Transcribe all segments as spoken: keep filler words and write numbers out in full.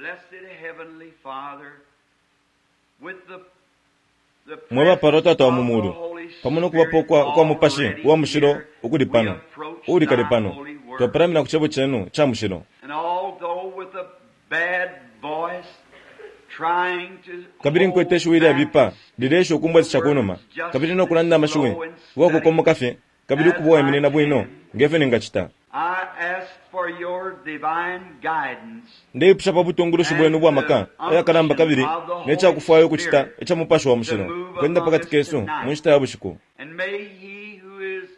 Blessed Heavenly Father, with the the Mwe bapalwa presence Tata wa of mu the mulu, Holy pamo no kubapo Spirit kwa, kwa Mupashi already uwa mushilo here, ukuli we pano, approach uuli kale thy pano, holy word. twapalamina ku cebo cenu ca mushilo. And although with a bad voice, trying to Kabili hold nkwete ishiwi ilyabipa back lileesha ukumbwesesha ku numa, the words kabili just no kulanda as amashiwi slow and uwakukomoka steady fye, kabili as ukuba uwaiminina I bwino can, nge fyo ningacita. I ask for your divine guidance Ndeipusha pa butungulushi bwenu and ubwa maka the ayakalamba unction kabili of the ne Holy cakufwaya ukucita Spirit ica Mupashi wa to Mushilo move kwenda among pakati us kesu mu tonight. nshita ya bushiku. And may he who is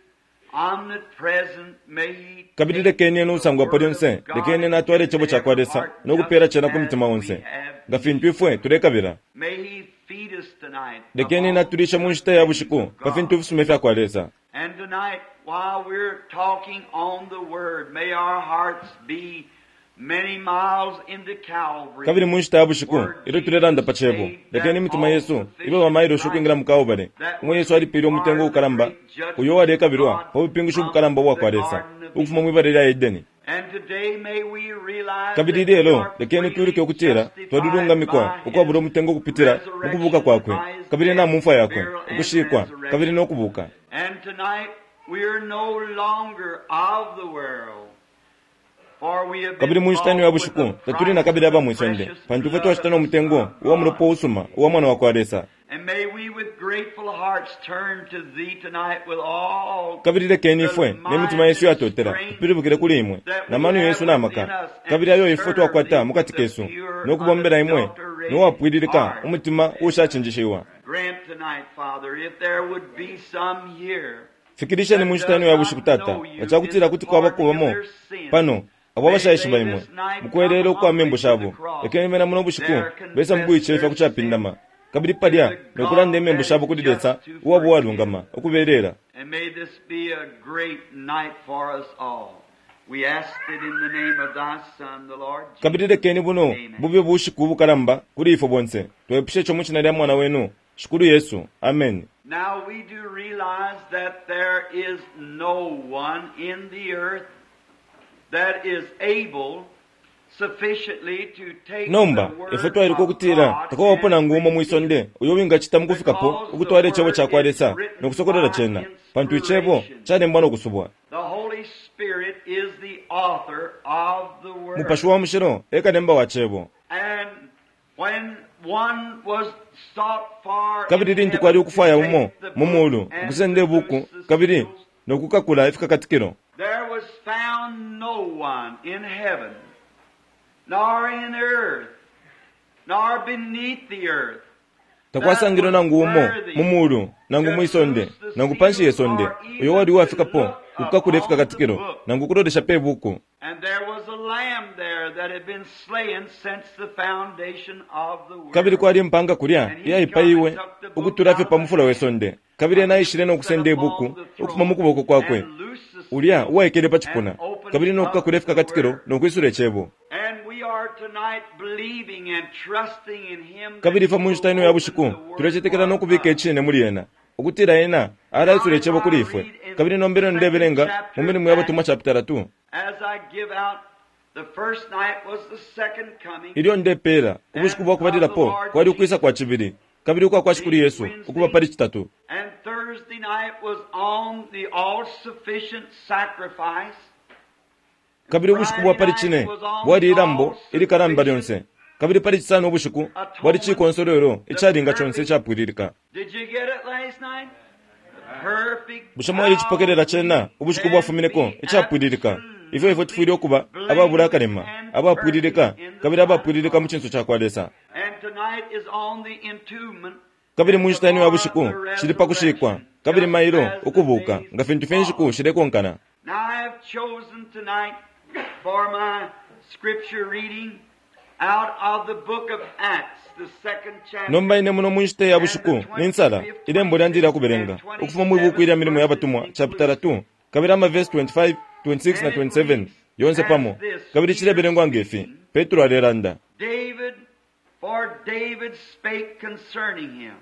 omnipresent, may he Kabili take lekeni ena the usangwapo word lyonse, of God lekeni and ena atwale give it icebo to ca kwa every Lesa heart no just kupeela cena ku as mutima we onse, have nga fintu need. ifwe tulekabila. May he feed us tonight Lekeni ena upon atulishe the mu nshita ya things bushiku of pa fintu God. ifisuma ifya kwa Lesa. And tonight, while we're talking on the Word, may our hearts be many miles into Kabili Calvary, mu nshita ya bushiku where ilyo tulelanda Jesus pa cebo, paid lekeni that imitima yesu ibe all-sufficient bamailoshi ukwingila price mu Kalbale, that umo was Yesu alipile umutengo required of the ukalamba great uyo judgment of walekabilwa God pa bupingushi from ubukalamba ubwa kwa the Lesa Garden of ukufuma Eden. mwi bala lya Edeni. And today may we realize Kabili that we lelo are lekeni freely twiluke ukutila justified twalilungamikwa by ukwabula His umutengo ukupitila mu kubuka resurrection, kwakwe by His kabili na death, mu mfwa yakwe, burial, and ukushikwa kabili resurrection. no kubuka. And tonight we are no longer of the world, for we have Kabili been mu nshita ino ya bought with bushiku the tatuli na price kabili of aba the mwi sonde, precious pantu ifwe blood twashita of no the mutengo Son of uwa mulopa God. usuma uwa Mwana wa kwa Lesa. And may we with grateful hearts turn to Thee tonight with all Kabili lekeni the ifwe ne mitima mind yesu and yatotela strength tupilibukile kuli imwe that na we mano have yesu na within maka us and kabili ayo ifwe serve twakwata Thee mu with kati a kesu pure, no kubombela imwe no unadulterated wapwililika heart. umutima uushacinjishiwa. Grant tonight, Father, if there would be some here Fikilisheni that mu nshita does ino ya not bushiku Tata, know nga you ca in kutila the kuti kwabako pardoning of bamo their sins, pano abo may abashaishiba they imwe this night mu come kwelela ukwa humbly membu to the shabo, cross, lekeni bena muno bushiku there besa mu confess kuicefya their ku capindama sins kabili to palya the no kulanda God imembu that shabo is kuli Lesa just to uwaba forgive. uwalungama ukubelela. And may this be a great night for us all. We ask it in the name of thy Son, the Lord Kabili Jesus. lekeni buno Amen. bube bushiku ubukalamba kuli ifwe bonse twepushe ico mu shina lya Mwana wenu Shikulu Yesu. Amen. Now we do realize that there is no one in the earth that is able sufficiently to take the Nomba ifwe word twailuka of ukutila God takwabapo and nangu umo mwi reveal sonde it, uyo wingacita mu kufikapo because the ukutwala icebo word ca kwa is Lesa no written kusokolola by cena, pantu icebo inspiration. calembwa no kusubwa. The Holy Spirit is the author of the Mupashi word. wa mushilo e kalemba wa cebo. And when one was sought for Kabili in lintu kwali heaven to ukufwaya umo take the mu book mulu and ukusenda to ibuku loose the kabili seals, no kukakula ifikakatikilo, there was found no one in heaven, nor in earth, nor beneath the earth, that takwasangilwe was nangu umo mu worthy mulu nangu to mwi sonde loose the nangu panshi ye seals sonde or uyo wali even to uwafikapo look ukukakula upon the ifikakatikilo book. nangu ukulolesha pe buku. And there was a lamb there that had been slain since the foundation of the Kabili world. kwali impanga kulya And he come and iyaipayiwe took the book ukutula fye out pa of the mufula we hand sonde kabili of ena him aishile no that sat kusenda upon ibuku the ukufuma mu throne, kuboko kwakwe and loosed the ulya seals uwaikele pa and cipuna opened kabili no up kukakula the ifikakatikilo word. no kwisula icebo. And we are tonight believing and trusting in him that Kabili ifwe he mu nshita will ino ya open bushiku the word tulecetekela no for kubika us. icine muli ena ukutila ena Now alaisula as icebo I kuli ifwe. read in Kabili the nombelo second ndebelenga mu chapter of milimo ya batumwa Acts, chapter two as I give out, the first night was the second coming ilyo ndepeela ubushiku and bwa of the kubalilapo Lord kwali ukwisa kwa Jesus, cibili kabili ukwa kwa Shikulu being Yesu ukuba Wednesday, pali citatu. and Thursday night was on the all-sufficient sacrifice, and Kabili ubushiku bwa Friday pali night cine was on bwali the ilambo ilikalamba all-sufficient lyonse kabili pali cisano ubushiku bwali atonement, cikonsolwelo the icalinga conse perfect. icapwililika. Did you get it last night? The perfect Bushe how mwailicipokelela we cena ubushiku can bwafumineko be icapwililika ifyo ifwe tufwile absolutely ukuba ababula blameless akalema and perfect abapwililika in the kabili sight of abapwililika mu God. cinso ca kwa Lesa. And tonight is on the entombment Kabili and mu nshita ino ya tomorrow bushiku the cili pa kushikwa resurrection, kabili just mailo as the ukubuka days nga fintu fye inshiku follow. shilekonkana. Now I have chosen tonight for my scripture reading out of the book of Acts, the second chapter, Nomba ine muno mu nshita ya and the bushiku ninsala twenty-fifth, ilembo lyandi twenty-sixth, lya and kubelenga ukufuma mwi buku twenty-seventh ilya milimo ya verses batumwa chapter inclusive. two kabili amavesi twenty-five, twenty-six na And it twenty-seven reads yonse as pamo this, kabili Peter cilebelengwa ngefi speaking, Petro alelanda. David, for David spake concerning him.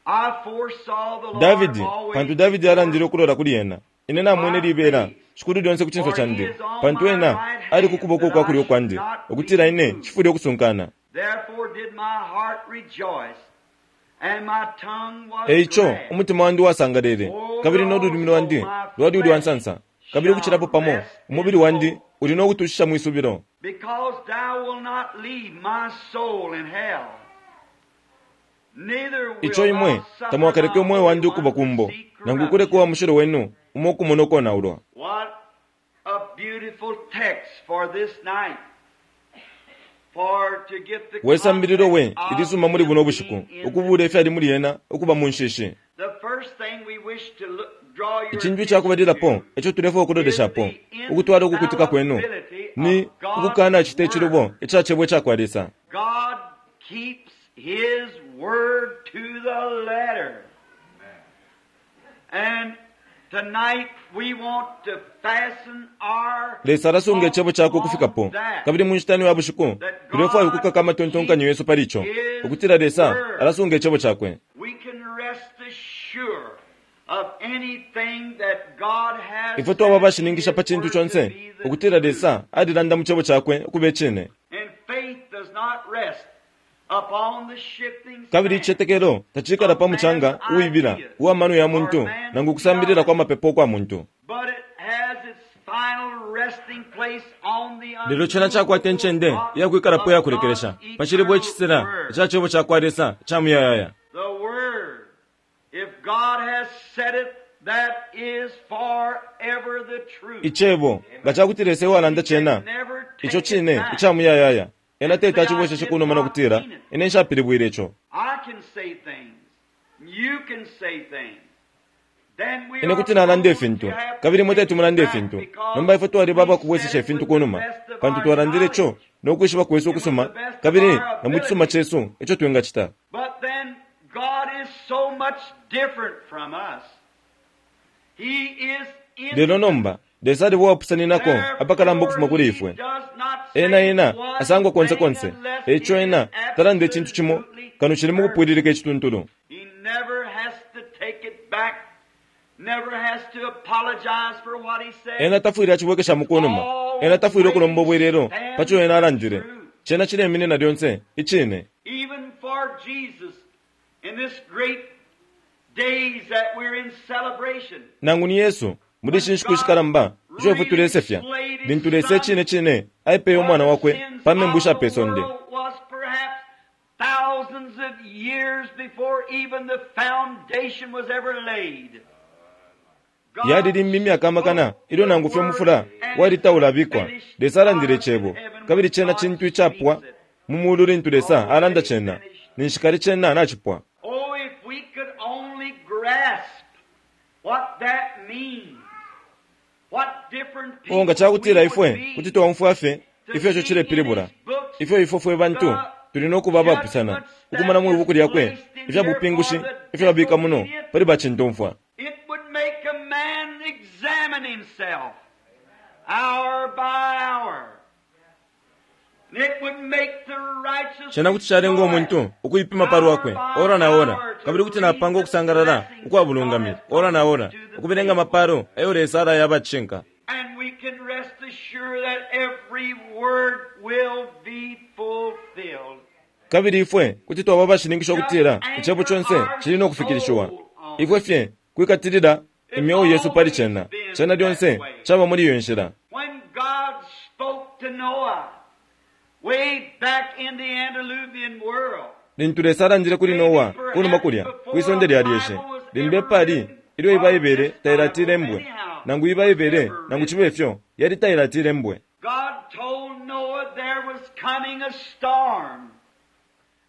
I foresaw the Lord Davidi always pantu Davidi before alandile ukulola kuli ena ine namwene my libela face, Shikulu lyonse ku cinso candi, pantu ena ali ku kuboko kwa kulyo kwandi, ukutila ine nshifwile ukusunkana. Therefore did my heart rejoice, and my tongue was Eico glad. umutima wandi wasangalele, kabili no lulimi lwandi lwali ulwa nsansa, kabili ukucilapo pamo umubili wandi uli no kutushisha mwisubilo. Because thou wilt not leave my soul in hell. Neither wilt Ico imwe thou suffer tamwakaleke thy umweo wandi Holy ukuba One to kumbo, see nangu corruption. kuleka uwa mushilo wenu umo ukumona ukonaulwa. What a beautiful text for this night. For to get the We sambililo we context of ilisuma muli buno bushiku, being in ukubula ifyali muli ena ukuba mu nshishi. The first thing we wish to look, draw your Icintu icakubalilapo attention ico tulefwaya ukuloleshapo, ukutwala ukukutika kwenu, ni ukukana cita icilubo ica cebo icakwa Lesa. to, God keeps His word to the letter. And tonight we want to fasten our Lesa alasunga icebo cakwe ukufikapo, on that. kabili mu nshita ino ya bushiku tulefwaya ukukaka amatontonkanyo yesu pali ico, ukutila Lesa alasunga icebo cakwe. We can rest assured of anything that God has Ifwe twaba said abashininkisha in pa His cintu word conse to be the ukutila truth. Lesa alilanda mu cebo cakwe ukuba icine. And faith does not rest upon the shifting Kabili sand. icicetekelo tacikala pa mucanga uwibila uwa mano ya muntu nangu kusambilila kwa mapepo kwa muntu. But it has its final resting place on the Lelo cena cakwata incende iyakwikalapo iyakulekelesha pa cilibwe icisela ica cebo cakwa Lesa ca muyayaya. The Word. If God has said it, that is forever the truth. Icebo nga cakuti Lesa ewalanda cena, Never take ico it cine back. ica muyayaya. Ena teti acibweseshe kunuma no kutila, ine nshapilibwile ico. I can say things. You can say things. Then we Ine are kuti nalanda prone ifintu, to have to kabili imwe take teti mulande it back ifintu. because Nomba ifwe twaliba we abakubwesesha said it ifintu with the kunuma, best of pantu our twalandile ico knowledge. no kwishiba kwesu ukusuma, kabili na mu cisuma cesu ico twingacita. But then God is so much different from us. He is in Lelo nomba, Lesa aliba uwapusaninako apakalamba ukufuma kuli ifwe. Ena ena asangwa konse konse, eico ena talanda icintu cimo kano cili mu kupwililika icituntulu. He never has to take it back, never has to apologize for what he said. Ena tafwile acibwekesha mu kunuma, ena tafwile ukulomba ubwelelo paco ena alandile. Cena cileminina lyonse icine. Even for Jesus, in this great days that we're in celebration, Nangu ni Yesu muli ishi nshiku ishikalamba isho ifwe tulesefya, lintu Lesa icine cine aipeye umwana wakwe pa membu isha pe sonde. Was perhaps thousands of years before even the foundation was ever laid. God Yali limbi imyaka amakana ilyo nangu fye umufula wali taulabikwa, Lesa alandile icebo, kabili cena cintu icapwa mu mulu lintu Lesa alanda cena, ninshi kale cena nacipwa. Oh, if we could only grasp what that means. What different O nga people cakutila we ifwe would be kuti twaumfwa fye to ifyo ico see cilepilibula, in his books ifyo ifwe fwe bantu tuli no kuba abapusana ukumona mwi buku lyakwe ifya bupingushi ifyo babika muno pali bacintomfwa. It would make a man examine himself hour by hour. And it would make the righteous Cena kuti calenga umuntu ukuipima pa lwakwe ora na ora, kabili kuti napanga ukusangalala ukwa bulungami ora na ora, ukubelenga amapalo ayo Lesa alaya abacishinka. And we can rest assured that every word will be fulfilled. Kabili ifwe kuti twaba abashininkisha ukutila icebo conse cili no kufikilishiwa. Ifwe fye kwikatilila imyeo yesu pali cena, cena lyonse caba muli iyo nshila. When God spoke to Noah way back in the antediluvian world, Lintu Lesa alandile kuli Noa kunuma kulya kwisonde lya lyeshe, limbi epali ilyo ibaibele tailatilembwe, nangu ibaibele nangu cibe ifyo yali tailatilembwe. God told Noah there was coming a storm.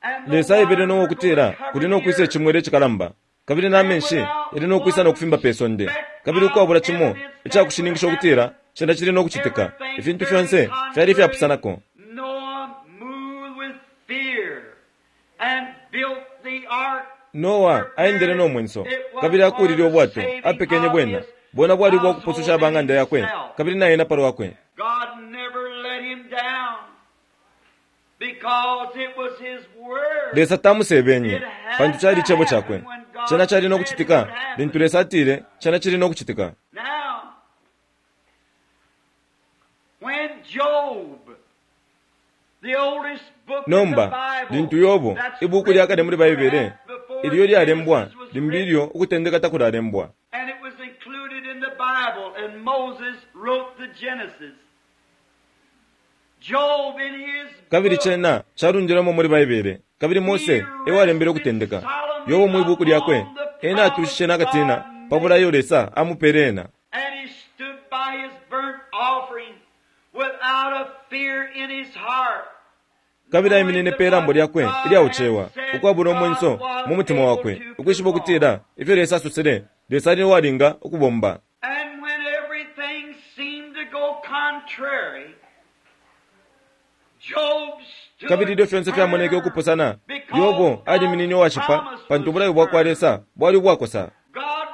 And the Lesa aebele waters Noa were ukutila gonna cover kuli no the kwisa earth. icimwele icikalamba, kabili na menshi yali no kwisa no kufimba pe sonde, kabili ukwabula cimo icakushininkisha ukutila cena cili no kucitika, ifintu fyonse fyali ifyapusanako. Noah moved with fear and built the ark. Noa aendele no mwenso, kabili akulile ubwato, apekenye bwena, bwena bwali bwa kupususha abang'anda yakwe, kabili na ena palwakwe. God never let him down because it was his word. Lesa tamusebenye, pantu cali icebo cakwe. Cena cali no kucitika, lintu Lesa atile, cena cili no kucitika. Now, Job, the oldest book in the Nomba Bible, lintu Yobo that's ibuku lya kale muli Baibele written before ilyo lyalembwa Genesis was limbi written, ilyo ukutendeka takulalembwa and it was included in the Bible, and Moses wrote the Genesis. Job in his kabili book, cena calundilwemo muli Baibele kabili Mose ewalembele ukutendeka. Yobo mwi buku lyakwe ena atushishe n'akatina pa bulayo Lesa amupele ena. And he stood by his burnt offering without a fear in his heart. Kabili aiminine pe lambo lyakwe ilyaucewa ukwabula umwenso mu mutima wakwe ukwishiba ukutila ifyo Lesa asosele Lesa ali uwalinga ukubomba. And when everything seemed to go contrary, Job stood Kabili ilyo fyonse fyamoneke ukupusana because Yobo aliminine uwashipa promise pantu was ubulayo bwa kwa firm. Lesa bwali ubwakosa. God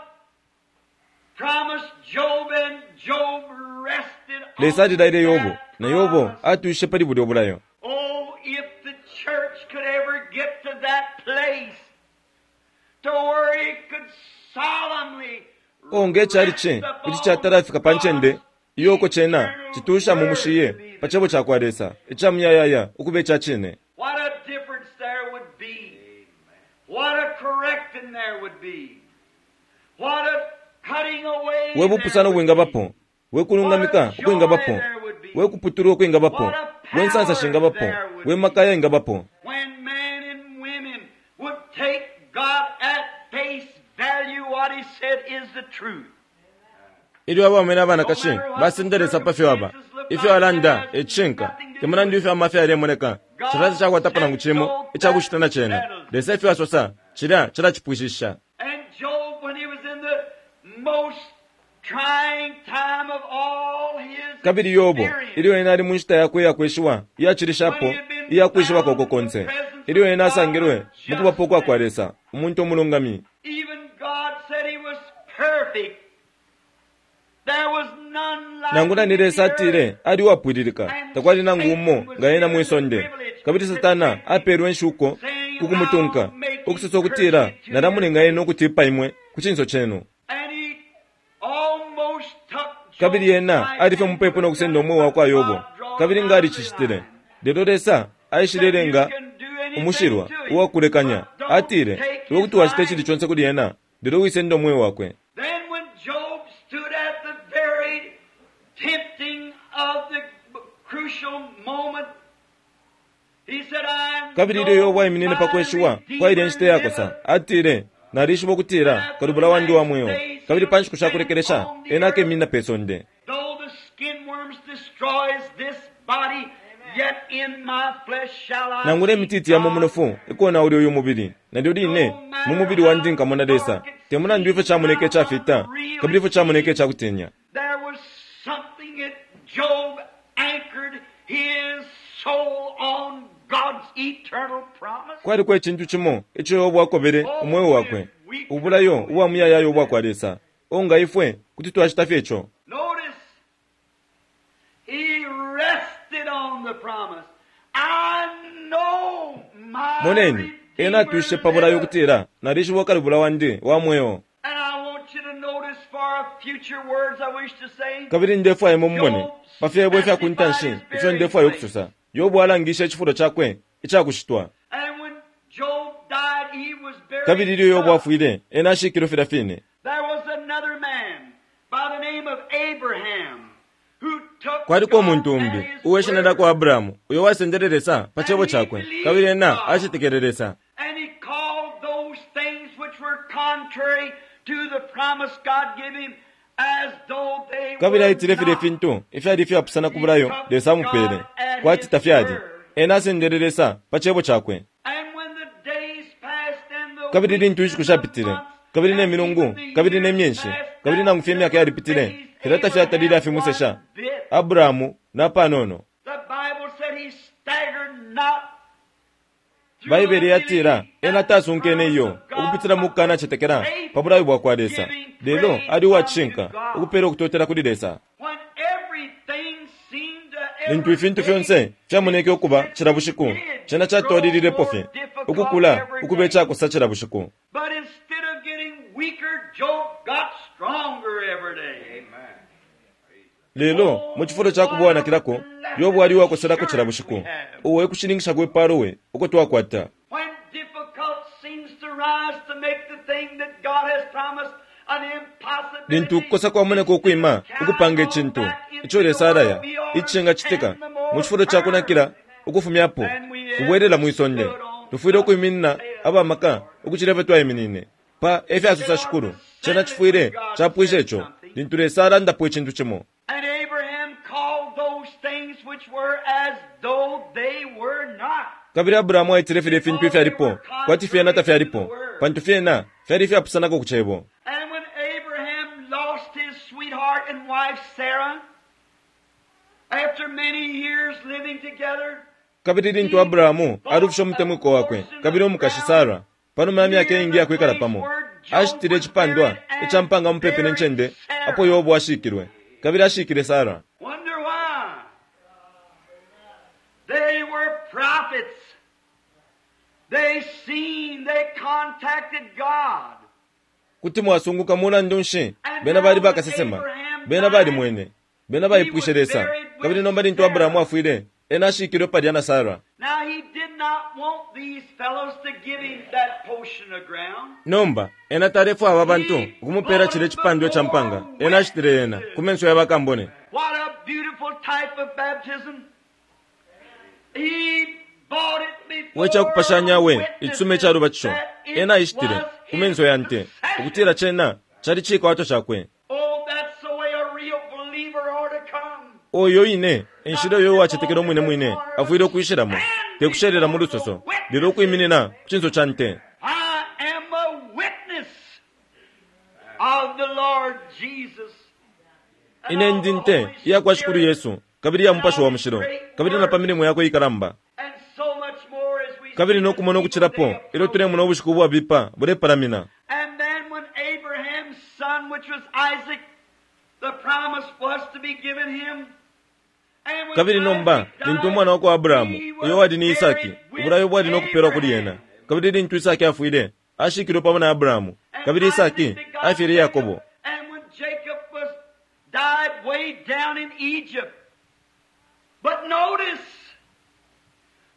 promised Job and Job rested on Lesa alilaile Yobo that na Yobo promise. atushishe pali bulya bulayo. Oh, if the church could ever get to that place to where it could solemnly O nge cali kuti catalafika pa ncende iyoko cena citusha mu mushiye pa cebo ca kwa Lesa ica muyayaya ukuba ica cine. What a difference there would be. What a correcting there would be. What a cutting away We bupusano there would be. bwingabapo, we kulungamika ukwingabapo, we kuputulwa ukwingabapo, we nsansa shingabapo, we makaya ingabapo. When men and women would take God at face value, what He said is the truth. Ilyo abaume n'abanakashi basenda Lesa pa fyo aba, ifyo alanda e cishinka, te mulandu ifyo amafya yalemoneka, cilya tacakwatapo nangu cimo icakucita na cena. Lesa ifyo asosa, cilya cilacipwishisha. And Job, when he was in the most trying time of all his Kabili Yobo experience, ilyo ena ali mu nshita yakwe iyakweshiwa iyacilishapo iyakwishibako koko konse, ilyo ena asangilwe mu kubapo kwa kwa Lesa, umuntu umulungami, even God said he was perfect. There was none like nangula him ni in the Lesa earth. atile ali uwapwililika, takwali nangu umo nga ena mwi sonde. Kabili Satana apelwe nshuko ku kumutunka, ukusosa ukutila nalamulenga ena ukutipa imwe ku cinso cenu. And he almost took Job's Kabili ena life ali fye mupepo no kusenda umweo wa kwa Yobo, God draw kabili nga alicicitile. Lelo Lesa aishilelenga umushilwa uwakulekanya, atile iwe kuti wacita icili conse kuli ena, lelo wisenda umweo wakwe. Then when Job stood at the very tempting of the crucial moment, he said, I Kabili ilyo Yobo aiminine pa kweshiwa kwa ilya nshita iyakosa, atile nalishiba ukutila kalubula wandi wa mweo, kabili pa nshiku shakulekelesha ena akeminina pe sonde. Though the skin worms destroys this body, yet in my flesh shall I Nangula see imititi ya mu God. munofu ikonaula uyu mubili, nalyo line mu mubili wandi nkamona Lesa, te mulandu ifyo camoneka icafita kabili ifyo camoneka icakutinya. There was something that Job anchored his soul on God's eternal promise. Kwaliko icintu cimo ico Yobo akobele umweo wakwe, ubulayo ubwa muyayaya ubwa kwa Lesa. O nga ifwe kuti twacita fye ico. Notice, he rested on the promise. I know my Moneni, ena atushe pa bulayo Redeemer liveth. ukutila nalishiba ukalubula wandi wa mweo. And I want you to notice for future words I wish to say. Kabili ndefwaya imwe mumone pa fyebo ifya ku ntanshi ifyo ndefwaya ukusosa. Yobo alangishe icifulo cakwe icakushitwa. And when Job died, he was buried. Kabili ilyo Yobo afwile, ena ashikilwe filya fine. There was another man by the name of Abraham who took Kwaliko God umuntu at umbi his uwe shina word. lyakwa Abrahamu uyo wasendele Lesa pa cebo cakwe, kabili ena acetekele Lesa. And he called those things which were contrary to the promise God gave him as though they Kabili were aitile filya not. ifintu ifyali ifyapusana ku bulayo Lesa amupele, kwati tafyali. Ena asendele Lesa pa cebo cakwe. And when the days passed and the Kabili lintu weeks inshiku and the shapitile, months kabili ne and milungu, even the kabili ne years myenshi, passed, kabili nangu fye imyaka yalipitile, never filya tafyatalile Abraham afimusesha one bit. Abrahamu na panono. The Bible said he staggered not through Baibele yatila unbelief ena at the tasunkene promise iyo of God, ukupitila mu kukanacetekela faith pa bulayo bwa kwa Lesa, giving lelo praise ali uwacishinka unto God. ukupela ukutotela kuli Lesa. When everything seemed to Lintu every ifintu day fyonse fyamoneke ukuba cila bushiku, did cena grow catwalililepo more fye difficult ukukula every ukuba day. icakosa cila bushiku. But instead of getting weaker, Job got stronger every day. Amen. Lelo mu cifulo ca kuba uwanakilako, Yobo ali uwakoselako cila bushiku. Uo e kushininkisha kwe palo we uko twakwata. When difficult seems to rise to make the thing that God has promised an impossibility, Lintu ukukosa kwamoneka ukwima ukupanga icintu ico Lesa alaya icishingacitika, mu cifulo ca kunakila ukufumyapo kubwelela mwi sonde, tufwile ukwiminina abamaka ukucila ifyo twaiminine. Pa efyasosa Shikulu, cena cifwile capwisha ico lintu Lesa alandapo icintu cimo. And Abraham called those things which were as though they were not. Kabili Abrahamu aitile filya ifintu ifyalipo kwati fyena tafyalipo, pantu fyena fyali ifyapusanako ku cebo. And when Abraham lost his sweetheart and wife Sarah, after many years living together, Kabili lintu Abrahamu alufishe umutemwiko wakwe kabili umukashi Sara, panuma ya myaka iingi yakwikala pamo, ashitile icipandwa ica mpanga mupepi ne ncende apo Yobo ashikilwe, kabili ashikile Sara. Wonder why? They were prophets. They seen, they contacted God. Kuti mwasunguka mulandu nshi bena bali bakasesema, bena balimwene, bena baipwishe Lesa. Kabili nomba lintu Abrahamu afwile, ena ashikilwe palya na Sara. Now he did not want these fellows to give him that portion of ground. Nomba ena talefwaya aba bantu ukumupela cilya icipandwa ca mpanga. Ena ashitile yena ku menso ya bakambone. What a beautiful type of baptism. He bought it before We cakupashanya we witnesses icisume ca lubatisho. that it Ena ashitile was ku menso ya nte his possession. ukutila cena cali cikwato cakwe. Oh, that's the way a real believer ought to come. Oyo ine enshila uyo uwacetekela umwine mwine afwile ukwishilamo, te kushelela mu lusoso, lelo ukwiminina ku cinso ca nte. I am a witness of the Lord Jesus. And Ine of ndi the nte Holy iya kwa Shikulu Spirit. Yesu kabili ya Mupashi wa Mushilo kabili na pa milimo yakwe ikalamba. And so much more as we Kabili see no kumona the ukucilapo evil day ilyo tulemona ubushiku ubwabipa bulepalamina. And then when Abraham's son, which was Isaac, the promise was to be given him. And when Kabili nomba Isaac died, lintu umwana wa kwa Abrahamu he was uyo wali ni Isaki, buried with ubulayo bwali no kupelwa kuli ena. Abraham. Kabili lintu Isaki afwile, ashikilwe pamo na Abrahamu. And Kabili Isaac Isaki begot afyele Jacob. Yakobo. And when Jacob was died way down in Egypt. But notice,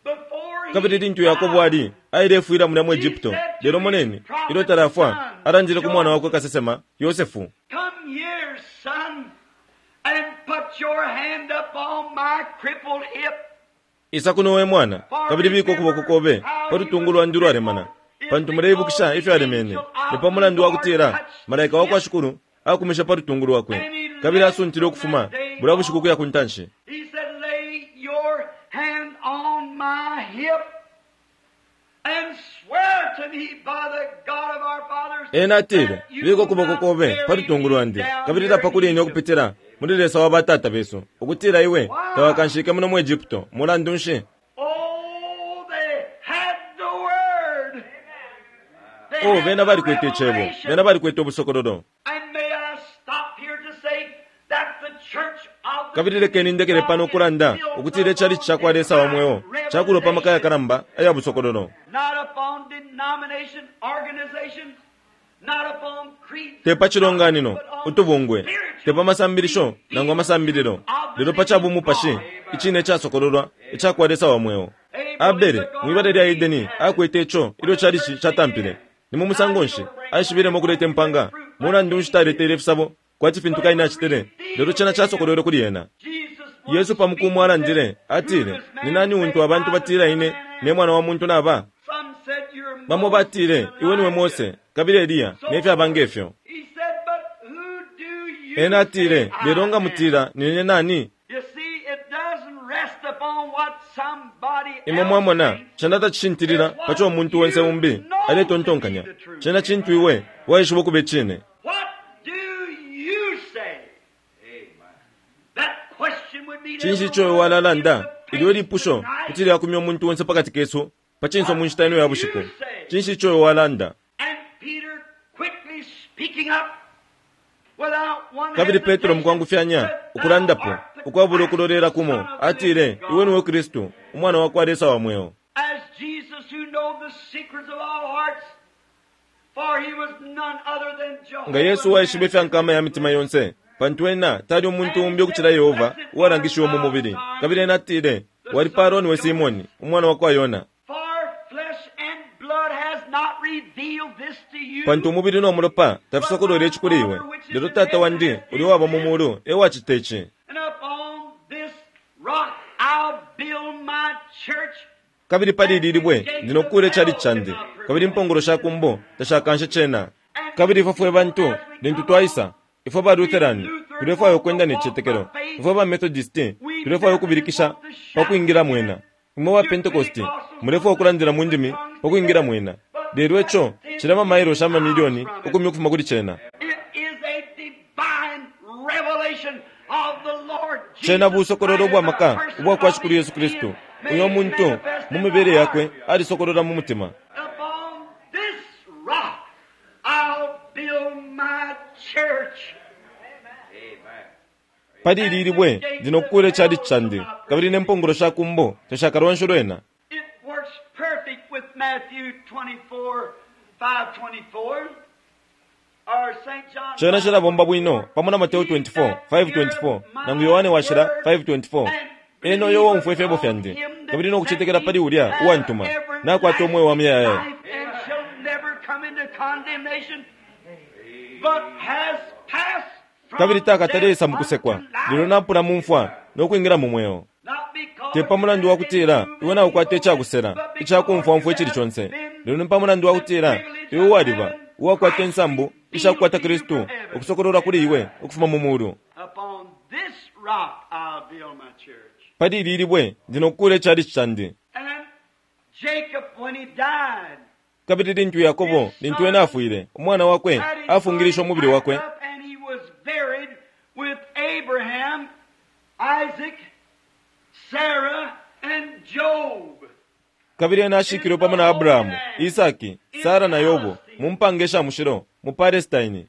before he Kabili lintu Yakobo ali ailefwila mulya mu Egypto, lelo moneni ilyo talafwa alandile ku mwana wakwe kasesema Yosefu. Come here, son, and put your hand up on my crippled hip. Isa kuno we mwana, kabili bika ukuboko kobe pa lutungu lwandi ulwalemana, pantu muleibukisha ifyo alemene. Ni pa mulandu wa kutila malaika wa kwa Shikulu akumisha pa lutungu lwakwe, kabili asuntile ukufuma bulya bushiku ukuya ku ntanshi. He said, Lay your hand on my hip and swear to me by the God of our fathers. Ena atile, that you bika ukuboko will kobe not pa lutungu bury me lwandi, down kabili here lapa kuli in ine Egypt. ukupitila muli Lesa wa batata besu, ukutila iwe tawakanshike muno mu Egypto. Mulandu nshi? Oh, they had the word. They Oh, had bena the balikwete icebo, revelation. bena balikwete ubusokololo. And may I stop here to say that the church of the Kabili lekeni ndekele pano ukulanda ukutila icalici ca kwa Lesa wa mweo cakulwa pa maka yakalamba aya busokololo. Not upon denomination, organization, not upon creeds, Te pa cilonganino, but on utubungwe, spiritual te pa masambilisho nangu amasambililo, lelo pa ca bumupashi icine icasokololwa ica kwa Lesa wa mweo. Abele mwibala lya Edeni akwete ico ilyo calici catampile. Ni mu musango nshi aishibilemo ukuleta impanga? Mulandu nshi taletele ifisabo kwati fintu Kaini acitile? Lelo cena casokolwelwe kuli ena. Jesus Yesu pamukumu alandile atile, ni nani untu abantu batila ine ne mwana wa muntu naba? Some said you're Bamo Moses batile and iwe niwe Elijah. Mose kabili Eliya ne fyaba ngefyo. He said, but who do you Ena atile, say I lelo nga am?" mutila nine nani? You see, it doesn't rest upon what somebody Imwe else mwamona thinks. cena tacishintilila pa co umuntu onse umbi aletontonkanya. Cena cintu iwe waishiba ukuba icine. What do you say? That question would be Cinshi ico iwe walalanda? Ilyo lipusho kuti lyakumya umuntu onse pakati kesu pa cinso mu nshita ino ya bushiku. Cinshi ico iwe walanda? And Peter quickly speaking up without one Kabili Petro hesitation, mukwangufyanya said, "Thou ukulandapo art the ukwabula ukulolela Christ, kumo the Son of the atile, living God." iwe niwe Kristu umwana wa kwa Lesa wa mweo. As Jesus who knows the secrets of all hearts, for he was none other than Jehovah. Nga Yesu waishiba ifya nkama ya mitima yonse, Pantu ena tali umuntu umbi ukucila Yehova uwalangishiwe mu mubili. Kabili ena atile, walipalwa niwe Simoni, umwana wa kwa Yona. Pantu umubili no mulopa tafisokolwele ici kuli iwe, lelo Tata wandi uli waba mu mulu e wacita ici. Kabili pali ili libwe ndi nokukuula icali candi, kabili impongolo sha kumbo tashakanshe cena. Kabili ifwe fwe bantu lintu twaisa, ifwe ba Lutheran tulefwaya ukwenda ne cicetekelo, ifwe ba Methodist tulefwaya ukubilikisha pa kwingila mwena, imwe ba Pentecost mulefwaya ukulandila mu ndimi pa kwingila mwena. Lelo ico cili amamailo amamilioni ukumi ukufuma kuli cena. Cena busokololo ubwa maka ubwa kwa Shikulu Yesu Kristu. Uyo muntu mu mibele yakwe alisokolola mu mutima. Pali ili libwe ndi nokukuula icali candi, kabili ne mpongolo sha kumbo tashakalwanshe lwena. Cena cilabomba bwino pamo na Mateo twenty-four, five twenty-four, nangu Yohane washila five twenty-four. Ena uyo uwaumfwa ifyebo fyandi, kabili nokucetekela pali ulya uwantuma, nakwata umweo wa muyayaya. Kabili takatalesa mukusekwa, lelo napula mu mfwa nokwingila mu mweo. Te pa mulandu wa kutila iwe naukwata icakusela icakumfwamfwa icili conse, lelo ni pa mulandu wa kutila iwe waliba uwakwata insambu ishakukwata Kristu ukusokololwa kuli iwe ukufuma mu mulu. Pali ili libwe ndi nokukuula icali candi. Kabili lintu Yakobo lintu ena afwile, umwana wakwe afungilishe umubili wakwe, kabili ena ashikilwe pamo na Abrahamu, Isaki, Sara na Yobo mu mpanga isha mushilo mu Palestine.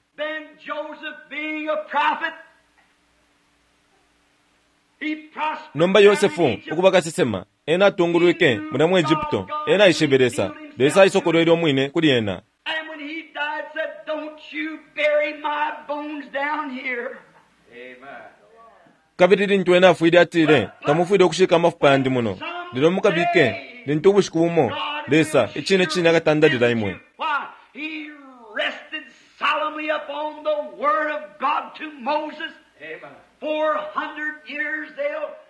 Nomba Yosefu ukuba kasesema, ena atungulwike mulya mu Egypto, ena aishibe Lesa, Lesa aisokolwele umwine kuli ena. Kabili lintu ena afwile atile, tamufwile ukushika amafupa yandi muno, lelo mukabike lintu ubushiku bumo Lesa icine cine akatandalila imwe.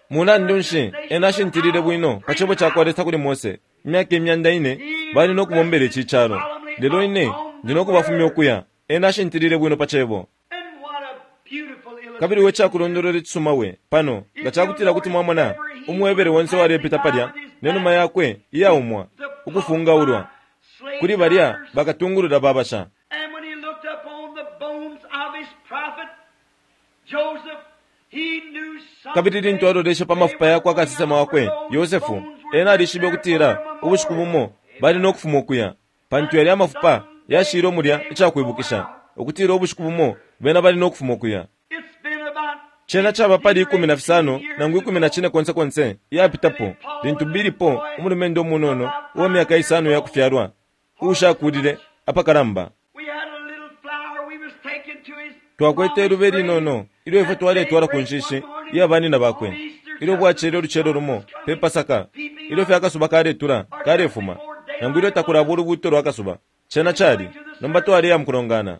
Mulandu nshi ena ashintilile bwino pa cebo cakwa Lesa kuli Mose, imyaka imyanda ine bali nokubombela ici calo, lelo ine ndi nokubafumya ukuya. Ena ashintilile bwino pa cebo. Kabili we cakulondolola icisuma we pano nga cakutila kuti mwamona umwebere wonse walepita palya nenuma yakwe iyaumwa ukufungaulwa kuli balya bakatungulula babasha. Kabili lintu aloleshe pa mafupa yakwe akasesema wakwe Yosefu, ena alishibe ukutila ubushiku bumo bali nokufuma ukuya, pantu yali amafupa yashile omulya icakwibukisha ukutila ubushiku bumo bena bali nokufuma ukuya. Cena caba pali ikumi na fisano nangu ikumi na cine konse konse yapitapo lintu bilipo umulumendo umunono uwa myaka isano yakufyalwa uushakulile apakalamba. Twakwete ilube linono ilyo ifwe twaletwala ku nshishi iya banina bakwe, ilyo bwacele ulucelo lumo pe Pasaka, ilyo fye akasuba kaletula kalefuma, nangu ilyo takulaba ulubuuto lwa kasuba. Cena cali nomba twaleya mukulongana.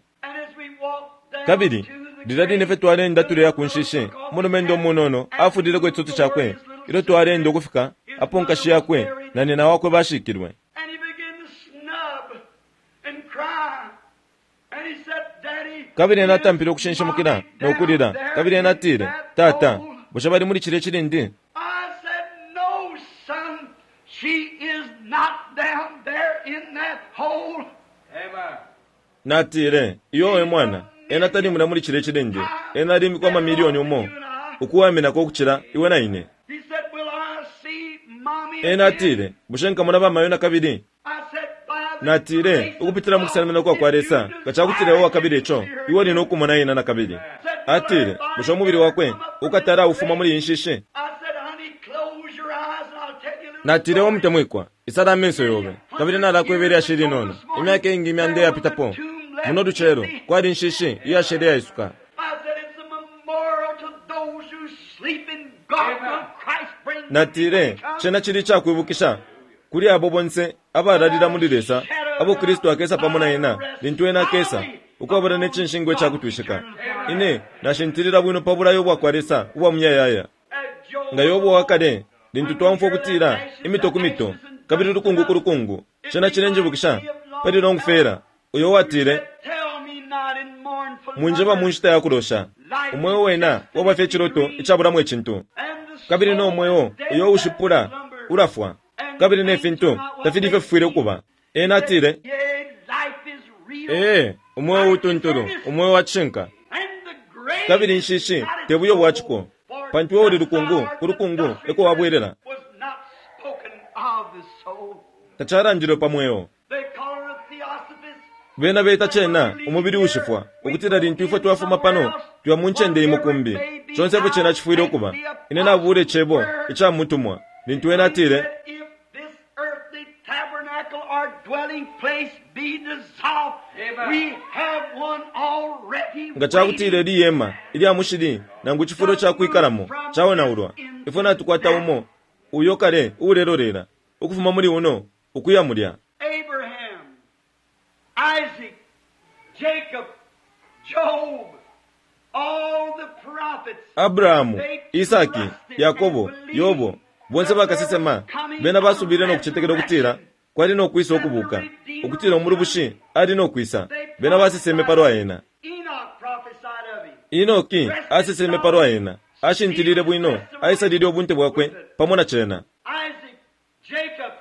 Kabili lilya line fye twalenda tuleya ku nshishi, umulumendo umunono afulileko icitutu cakwe ilyo twalenda ukufika apo nkashi yakwe na nina wakwe bashikilwe. Kabili ena atampile ukushinshimukila nokulila, kabili ena atile, Tata, bushe bali muli cilya cilindi? Natile, iyo we mwana, ena tali mulya muli cilya cilindi, ena alimikwa amamilioni umo ukuwaminako ukucila iwe na ine. Ena atile, bushe nkamona bamayo na kabili? Natile, ukupitila mu kusalimina kwa kwa Lesa, nga cakutila iwe wakabili ico, iwe uli nokumona ena na kabili. Atile, bushe umubili wakwe ukatala ufuma muli inshishi? Natile, we mutemwikwa, isala amenso yobe, kabili nalakwebela yashili inono, imyaka ingi imyanda iyapitapo muno lucelo kwali inshishi iyashele yaisuka. Natile cena cili icakwibukisha kuli abo bonse abalalila muli Lesa abo Kristu akesa pamo na ena lintu ena akesa ukwabula ne cinshingwa icakutwishika. Ine nashintilila bwino pa bulayo bwakwa Lesa ubwa muyayaya. Nga Yobo wakale lintu twaumfwa ukutila imito ku mito kabili lukungu ku lukungu, cena cilenjibukisha pali Longfela uyo watile, "Mwinjeba mu nshita ya kulosha, umweo wena waba fye ciloto icabulamo icintu, kabili no mweo uyo ushipula ulafwa, kabili ne fintu tafili ifyo fifwile ukuba." Ena atile, "Ee, umweo utuntulu, umweo wa cishinka, kabili inshishi te buyo bwa ciko, pantu we uli lukungu, ku lukungu eko wabwelela." Tacalandilwe pa mweo. Bena beta cena umubili ushifwa, ukutila lintu ifwe twafuma pano tuya mu ncende imo kumbi. Conse ifyo cena cifwile ukuba. Ine nabule cebo ica mutumwa lintu ena atile, "Nga cakutile liyema ilya mushili nangu cifulo ca kwikalamo caonaulwa, ifwe natukwata umo uyo kale uulelolera ukufuma muli uno ukuya mulya." Abraham, Isaac, Jacob, Job, all the prophets, Abrahamu, Isaki, Yakobo, Yobo, bonse bakasesema bena basubile no kucetekela ukutila kwali no kwisa ukubuka, ukutila umulubushi ali no kwisa. Bena baseseme palwa ena. Enoch prophesied of him. Enoki aseseme palwa ena, ashintilile bwino, aisalile ubunte bwakwe pamo na cena. Isaac, Jacob,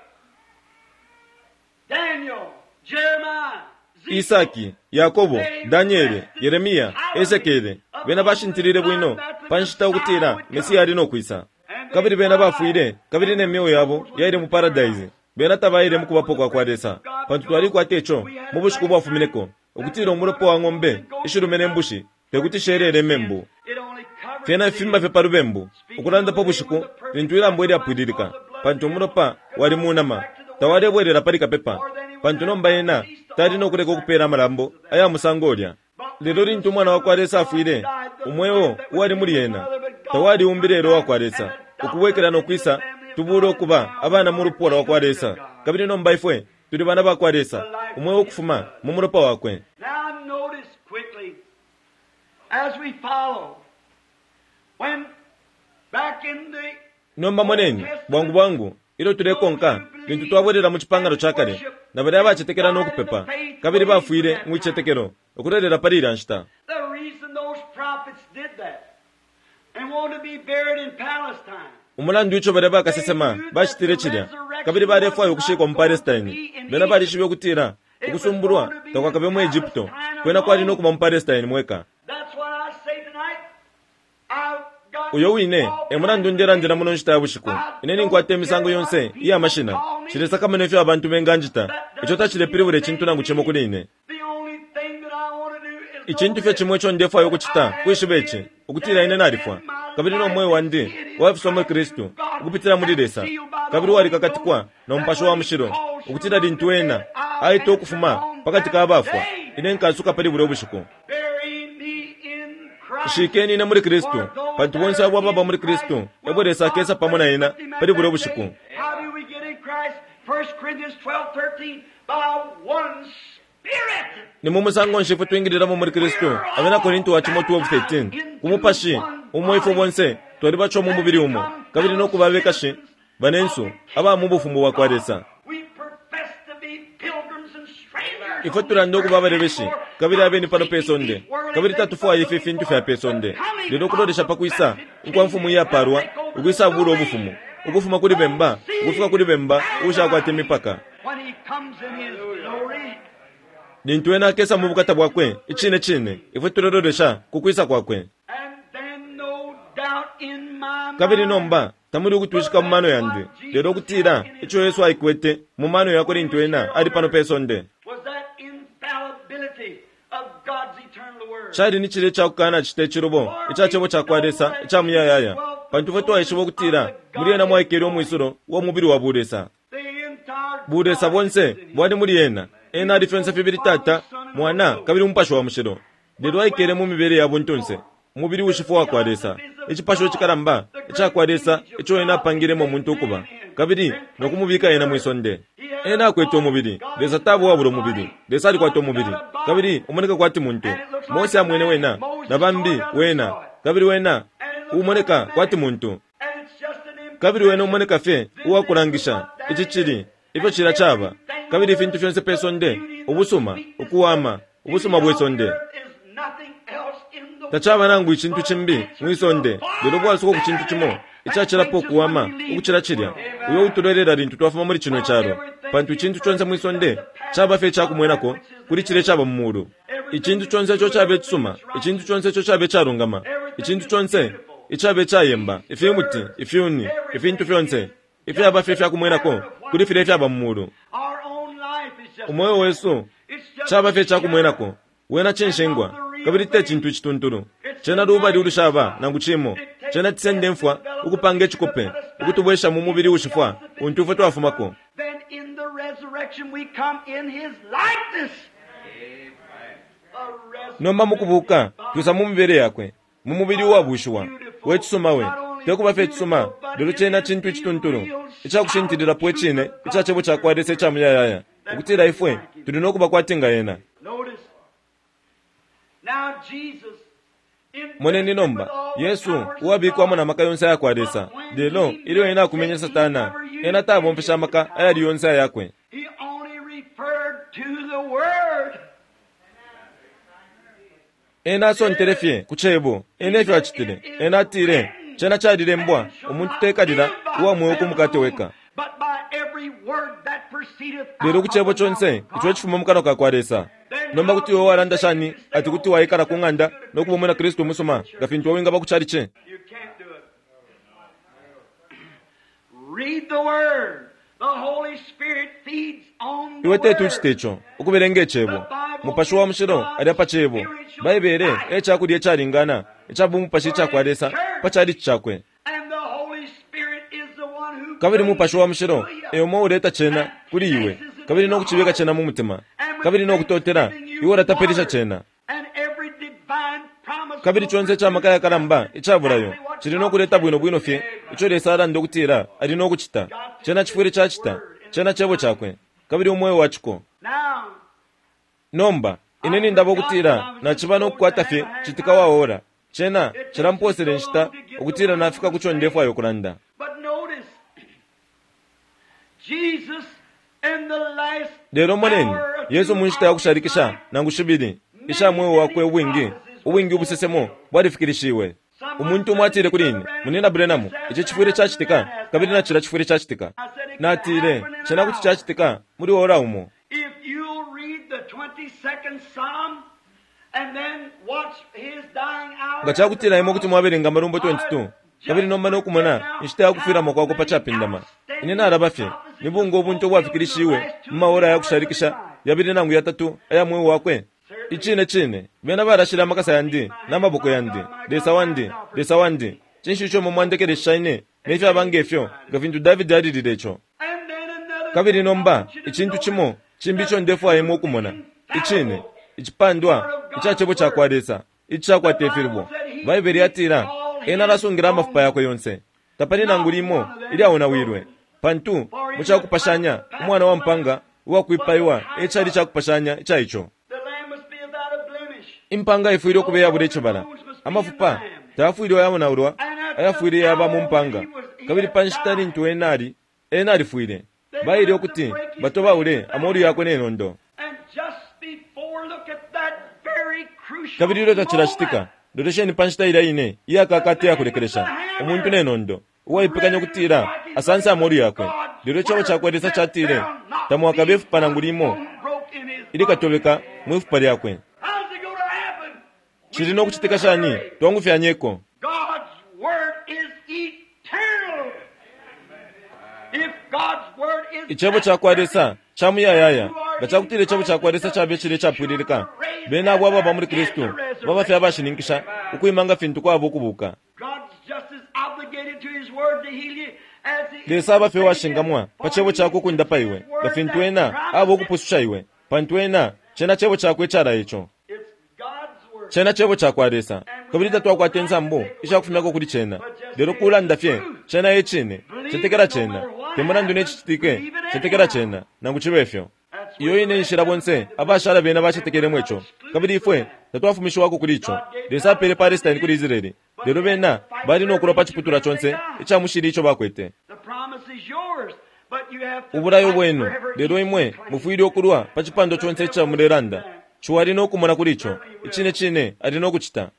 Daniel, Jeremiah, Ezekiel, Isaki, Yakobo, Daniele, Yeremia, Ezekiele, bena bashintilile bwino pa nshita ukutila Mesia ali no kwisa. Kabili bena bafwile, kabili ne myeo yabo yaile mu paradise. Bena tabaile mu kubapo kwa kwa Lesa, pantu twalikwata ico mu bushiku bwafumineko, ukutila umulopa wa ng'ombe ishilume ne mbushi tekuti shelele membu. It only covered Fyena fimba fye pa lubembu, ukulanda pa bushiku lintu ilambo ilyapwililika, pantu umulopa wali mu nama tawalebwelela pali kapepa, pantu nomba ena tali no kuleka ukupeela amalambo aya musango ulya. Lelo lintu umwana wa kwa Lesa afwile, umweo uwali muli ena tawaliumbile lelo wa kwa Lesa, ukubwekela no kwisa tubule ukuba abana mu lupwa lwa kwa Lesa, kabili nomba ifwe tuli bana ba kwa Lesa, umweo ukufuma mu mulopa wakwe. Now notice quickly, as we follow, when back in the Nomba moneni bwangu bwangu ilyo tulekonka lintu twabwelela mu cipangano ca kale, na balya abacetekela no kupepa kabili bafwile mu icetekelo ukulelela pali ilya nshita. The reason those prophets did that and wanted to be buried in Palestine. Umulandu ico balya bakasesema bacitile cilya kabili balefwaya ukushikwa mu Palestine, bena balishibe ukutila ukusumbulwa takwakabe mu Egypto, kwena kwali no kuba mu Palestine mweka. That's what I say tonight. I've got Uyo wine e mulandu ndelandila muno nshita ya bushiku. Ine ninkwata imisango yonse iya mashina, cilesakamana ifyo abantu benganjita, ico tacilepilibula icintu nangu cimo kuli ine. The only thing that I want to do is Icintu fye cimo ico ndefwaya ukucita kwishiba ici, ukutila ine nalifwa, kabili no mweo wandi wafiswa muli Kristu ukupitila muli Lesa, kabili walikakatikwa no Mupashi wa Mushilo, ukutila lintu ena aita ukufuma pakati ka bafwa, ine nkasuka pali bulya ubushiku. Bury me in Christ. Shikeni ine muli Kristu, pantu bonse abo ababa muli Kristu ebo Lesa akesa pamo na ena pali bulya ubushiku. How do we get in Christ? First Corinthians twelve thirteen, by one Spirit. Ni mu musango nshi ifwe twingililamo muli Kristu? Abena Korinto wa cimo twelve thirteen, ku mupashi umo ifwe bonse twalibacwa mu mubili umo, kabili no kuba abekashi banensu aba mu bufumu bwa kwa Lesa. We profess to be pilgrims and strangers. Ifwe tulanda ukuba abalebeshi kabili abeni pano pe sonde, kabili tatufwaya ifi fintu fya pe sonde, lelo kulolesha pa kwisa ukwa mfumu iyapalwa ukwisa bula ubufumu ukufuma kuli bemba ukufika kuli bemba uushakwata imipaka. When he comes in his glory, Lintu ena akesa mu bukata bwakwe icine cine, ifwe tulelolesha ku kwisa kwakwe. and then no doubt in my Kabili mind, nomba tamuli ukutwishika mu mano yandi, lelo ukutila ico Yesu aikwete mu mano yakwe lintu ena ali pano pe sonde was that infallibility of God's eternal word. cali ni cilya icakukana cita icilubo ica cebo ca kwa Lesa ica muyayaya, pantu ifwe twaishiba ukutila muli ena mwaikele umwisulo wa mubili wa bulesa. The entire Bulesa bonse bwali muli ena. Ena ali fyonse fibili Tata, Mwana kabili Umupashi wa Mushilo, lelo aikele mu mibele ya buntunse. Umubili ushifwa wakwa Lesa, icipasho icikalamba icakwa Lesa ico ena apangilemo umuntu ukuba, kabili nokumubika ena mwisonde. Ena akwete umubili. Lesa taba uwabula umubili. Lesa alikwata umubili, kabili umoneka kwati muntu. Mose amwene wena, na bambi wena, kabili wena umoneka kwati muntu, kabili wena umoneka fye uwakulangisha ici cili ifyo cila caba, kabili ifintu fyonse pe sonde, ubusuma, ukuwama, ubusuma bwe sonde tacaba nangu icintu cimbi mwisonde, lelo bwasuko ku cintu cimo icacilapo kuwama ukucila cilya, uyo utulelela lintu twafuma muli cino calo, pantu icintu conse mwisonde caba fye icakumwenako kuli cilya icaba mu mulu. Icintu conse ico caba icisuma, icintu conse ico caba icalungama, icintu conse icaba icayemba, ifimuti, ifyuni, ifintu fyonse ifyaba fye ifyakumwenako kuli filya ifyaba mu mulu. Umweo wesu caba fye icakumwenako, wena cinshingwa, kabili te cintu icituntulu. Cena lubali ulushaba nangu cimo. Cena cisende mfwa ukupanga icikope, ukutubwesha mu mubili ushifwa untu ifwe twafumako. Nomba mukubuka twisa mu mibele yakwe, mu mubili uwabushiwa wecisuma we, tekuba fye icisuma, lelo cena cintu icituntulu icakushintililapo icine ica cebo cakwa Lesa ica muyayaya, ukutila ifwe tuli nokuba kwati nga ena. Moneni nomba Yesu uwabikwamo na maka yonse ayakwa Lesa, lelo ilyo ena akumenye Satana, ena tabomfesha amaka ayali yonse ayakwe. Ena asontele fye ku cebo, ena efyo acitile. Ena atile, cena calilembwa, umuntu tekalila uwa mweo ku mukate weka, lelo ku cebo conse ico icifuma mu kanwa ka kwa Lesa. Nomba kuti iwe walanda shani ati kuti waikala ku ng'anda nokuba umwina Kristu umusuma nga fintu wingaba ku calici? Iwe teti ucite ico, ukubelenga icebo. Mupashi wa mushilo ali apa cebo. Baibele e cakulya icalingana ica bumupashi icakwa Lesa pa calici cakwe. Kabili mupashi wa mushilo e umo uleta cena kuli iwe, kabili nokucibika cena mu mutima, kabili nokutotela iwe ulatapilisha cena. Kabili conse ica maka yakalamba icabulayo cili nokuleta bwino bwino fye ico Lesa alanda ukutila ali nokucita. Cena cifwile cacita, cena cebo cakwe, kabili umweo waciko. Nomba ine nindaba ukutila naciba nokukwata fye citika waora, cena cilamposele nshita ukutila nafika kuco ndefwayo ukulanda. Lelo moneni Yesu mu nshita ya kushalikisha nangu shibili isha mweo wakwe ubwingi, ubwingi ubusesemo bwalifikilishiwe. Umuntu umo atile kuli ine, Munina Branham, ici cifwile cacitika, kabili nacila cifwile cacitika. Natile, cena kuti cacitika muli ora umo. Nga cakutila imwe kuti mwabelenga Amalumbo twenty-two, kabili nomba nokumona inshita ya kufwilamo kwakwe pa capindama, ine nalaba fye nibunga ubuntu ubwafikilishiwe mu maora ya kushalikisha yabili nangu yatatu aya mweo wakwe. Icine cine bena balashila amakasa yandi n'amaboko yandi. Lesa wandi, Lesa wandi, cinshi ico imwe mwandekelesha ine nefyaba ngefyo, nga fintu Davidi alilile ico. Kabili nomba icintu cimo cimbi ico ndefwaya imwe ukumona, icine icipandwa ica cebo cakwa Lesa icakwata ifilubo. Baibele yatila ena alasungila amafupa yakwe yonse, tapali nangu limo ilyaonawilwe, pantu mu cakupashanya umwana wa mpanga uwakwipaiwa ecali cakupashanya ica ico. Impanga ifwile ukuba iyabula icibala, amafupa tayafwile ayaonaulwa, ayafwile yaba mu mpanga. Kabili pa nshita lintu ena ali, ena alifwile, baile ukuti batobaule amolu yakwe nenondo. Kabili ilyo tacilacitika, lolesheni pa nshita ilya ine iyakakata iyakulekelesha, umuntu nenondo uwaipekanya ukutila asanse amolu yakwe. Lelo icebo cakwa Lesa catile, tamwakabe ifupa nangu limo ilikatobeka mwifupa lyakwe. Cili nokucitika shani? Twangufyanyeko. Icebo cakwa Lesa ca muyayaya. Nga cakutila icebo cakwa Lesa cabe cili icapwililika, bena abo ababa muli Kristu baba fye abashininkisha ukwima nga fintu kwaba ukubuka. Lesa aba fye uwashingamwa pa cebo cakwe ukundapa iwe, nga fintu ena aba ukupususha iwe, pantu ena cena cebo cakwe icala ico. Cena cebo cakwa Lesa, Kabili tatwakwata insambu ishakufumyako kuli cena, lelo kulanda fye cena e cine. Cetekela cena, te mulandu ne cicitike, cetekela cena nangu cibe fyo. Iyo ine nshila bonse abashala bena bacetekelemo ico, kabili ifwe tatwafumishiwako kuli ico. Lesa apele Palestine kuli Israeli, lelo bena bali nokulwa pa ciputulwa conse ica mushili ico bakwete. Ubulayo bwenu, lelo imwe mufwile ukulwa pa cipando conse ica mulelanda. Ciwa ali nokumona kuli ico, icine cine ali nokucita.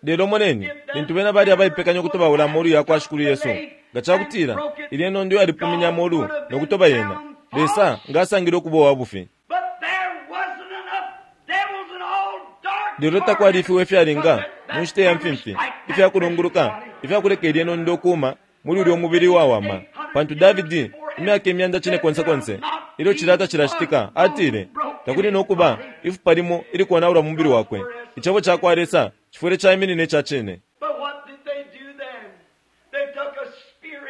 Lelo moneni, lintu bena bali abaipekanya ukutobaula amolu yakwa Shikulu Yesu, nga cakutila ilye nondo yalipuminya amolu nokutoba yena, Lesa nga asangile ukuba uwa bufi. Lelo takwali ifiwe ifyalinga mu nshita ya mfimfi ifyakulunguluka ifyakuleka ilye nondo ukuuma muli ulya umubili wawama, pantu Davidi imyaka imyanda cine konse konse ilyo cilata cilacitika atile takuli nokuba ifupa limo ilikonaulwa mu mubili wakwe. Icebo cakwa Lesa cifwile caiminina ica cine.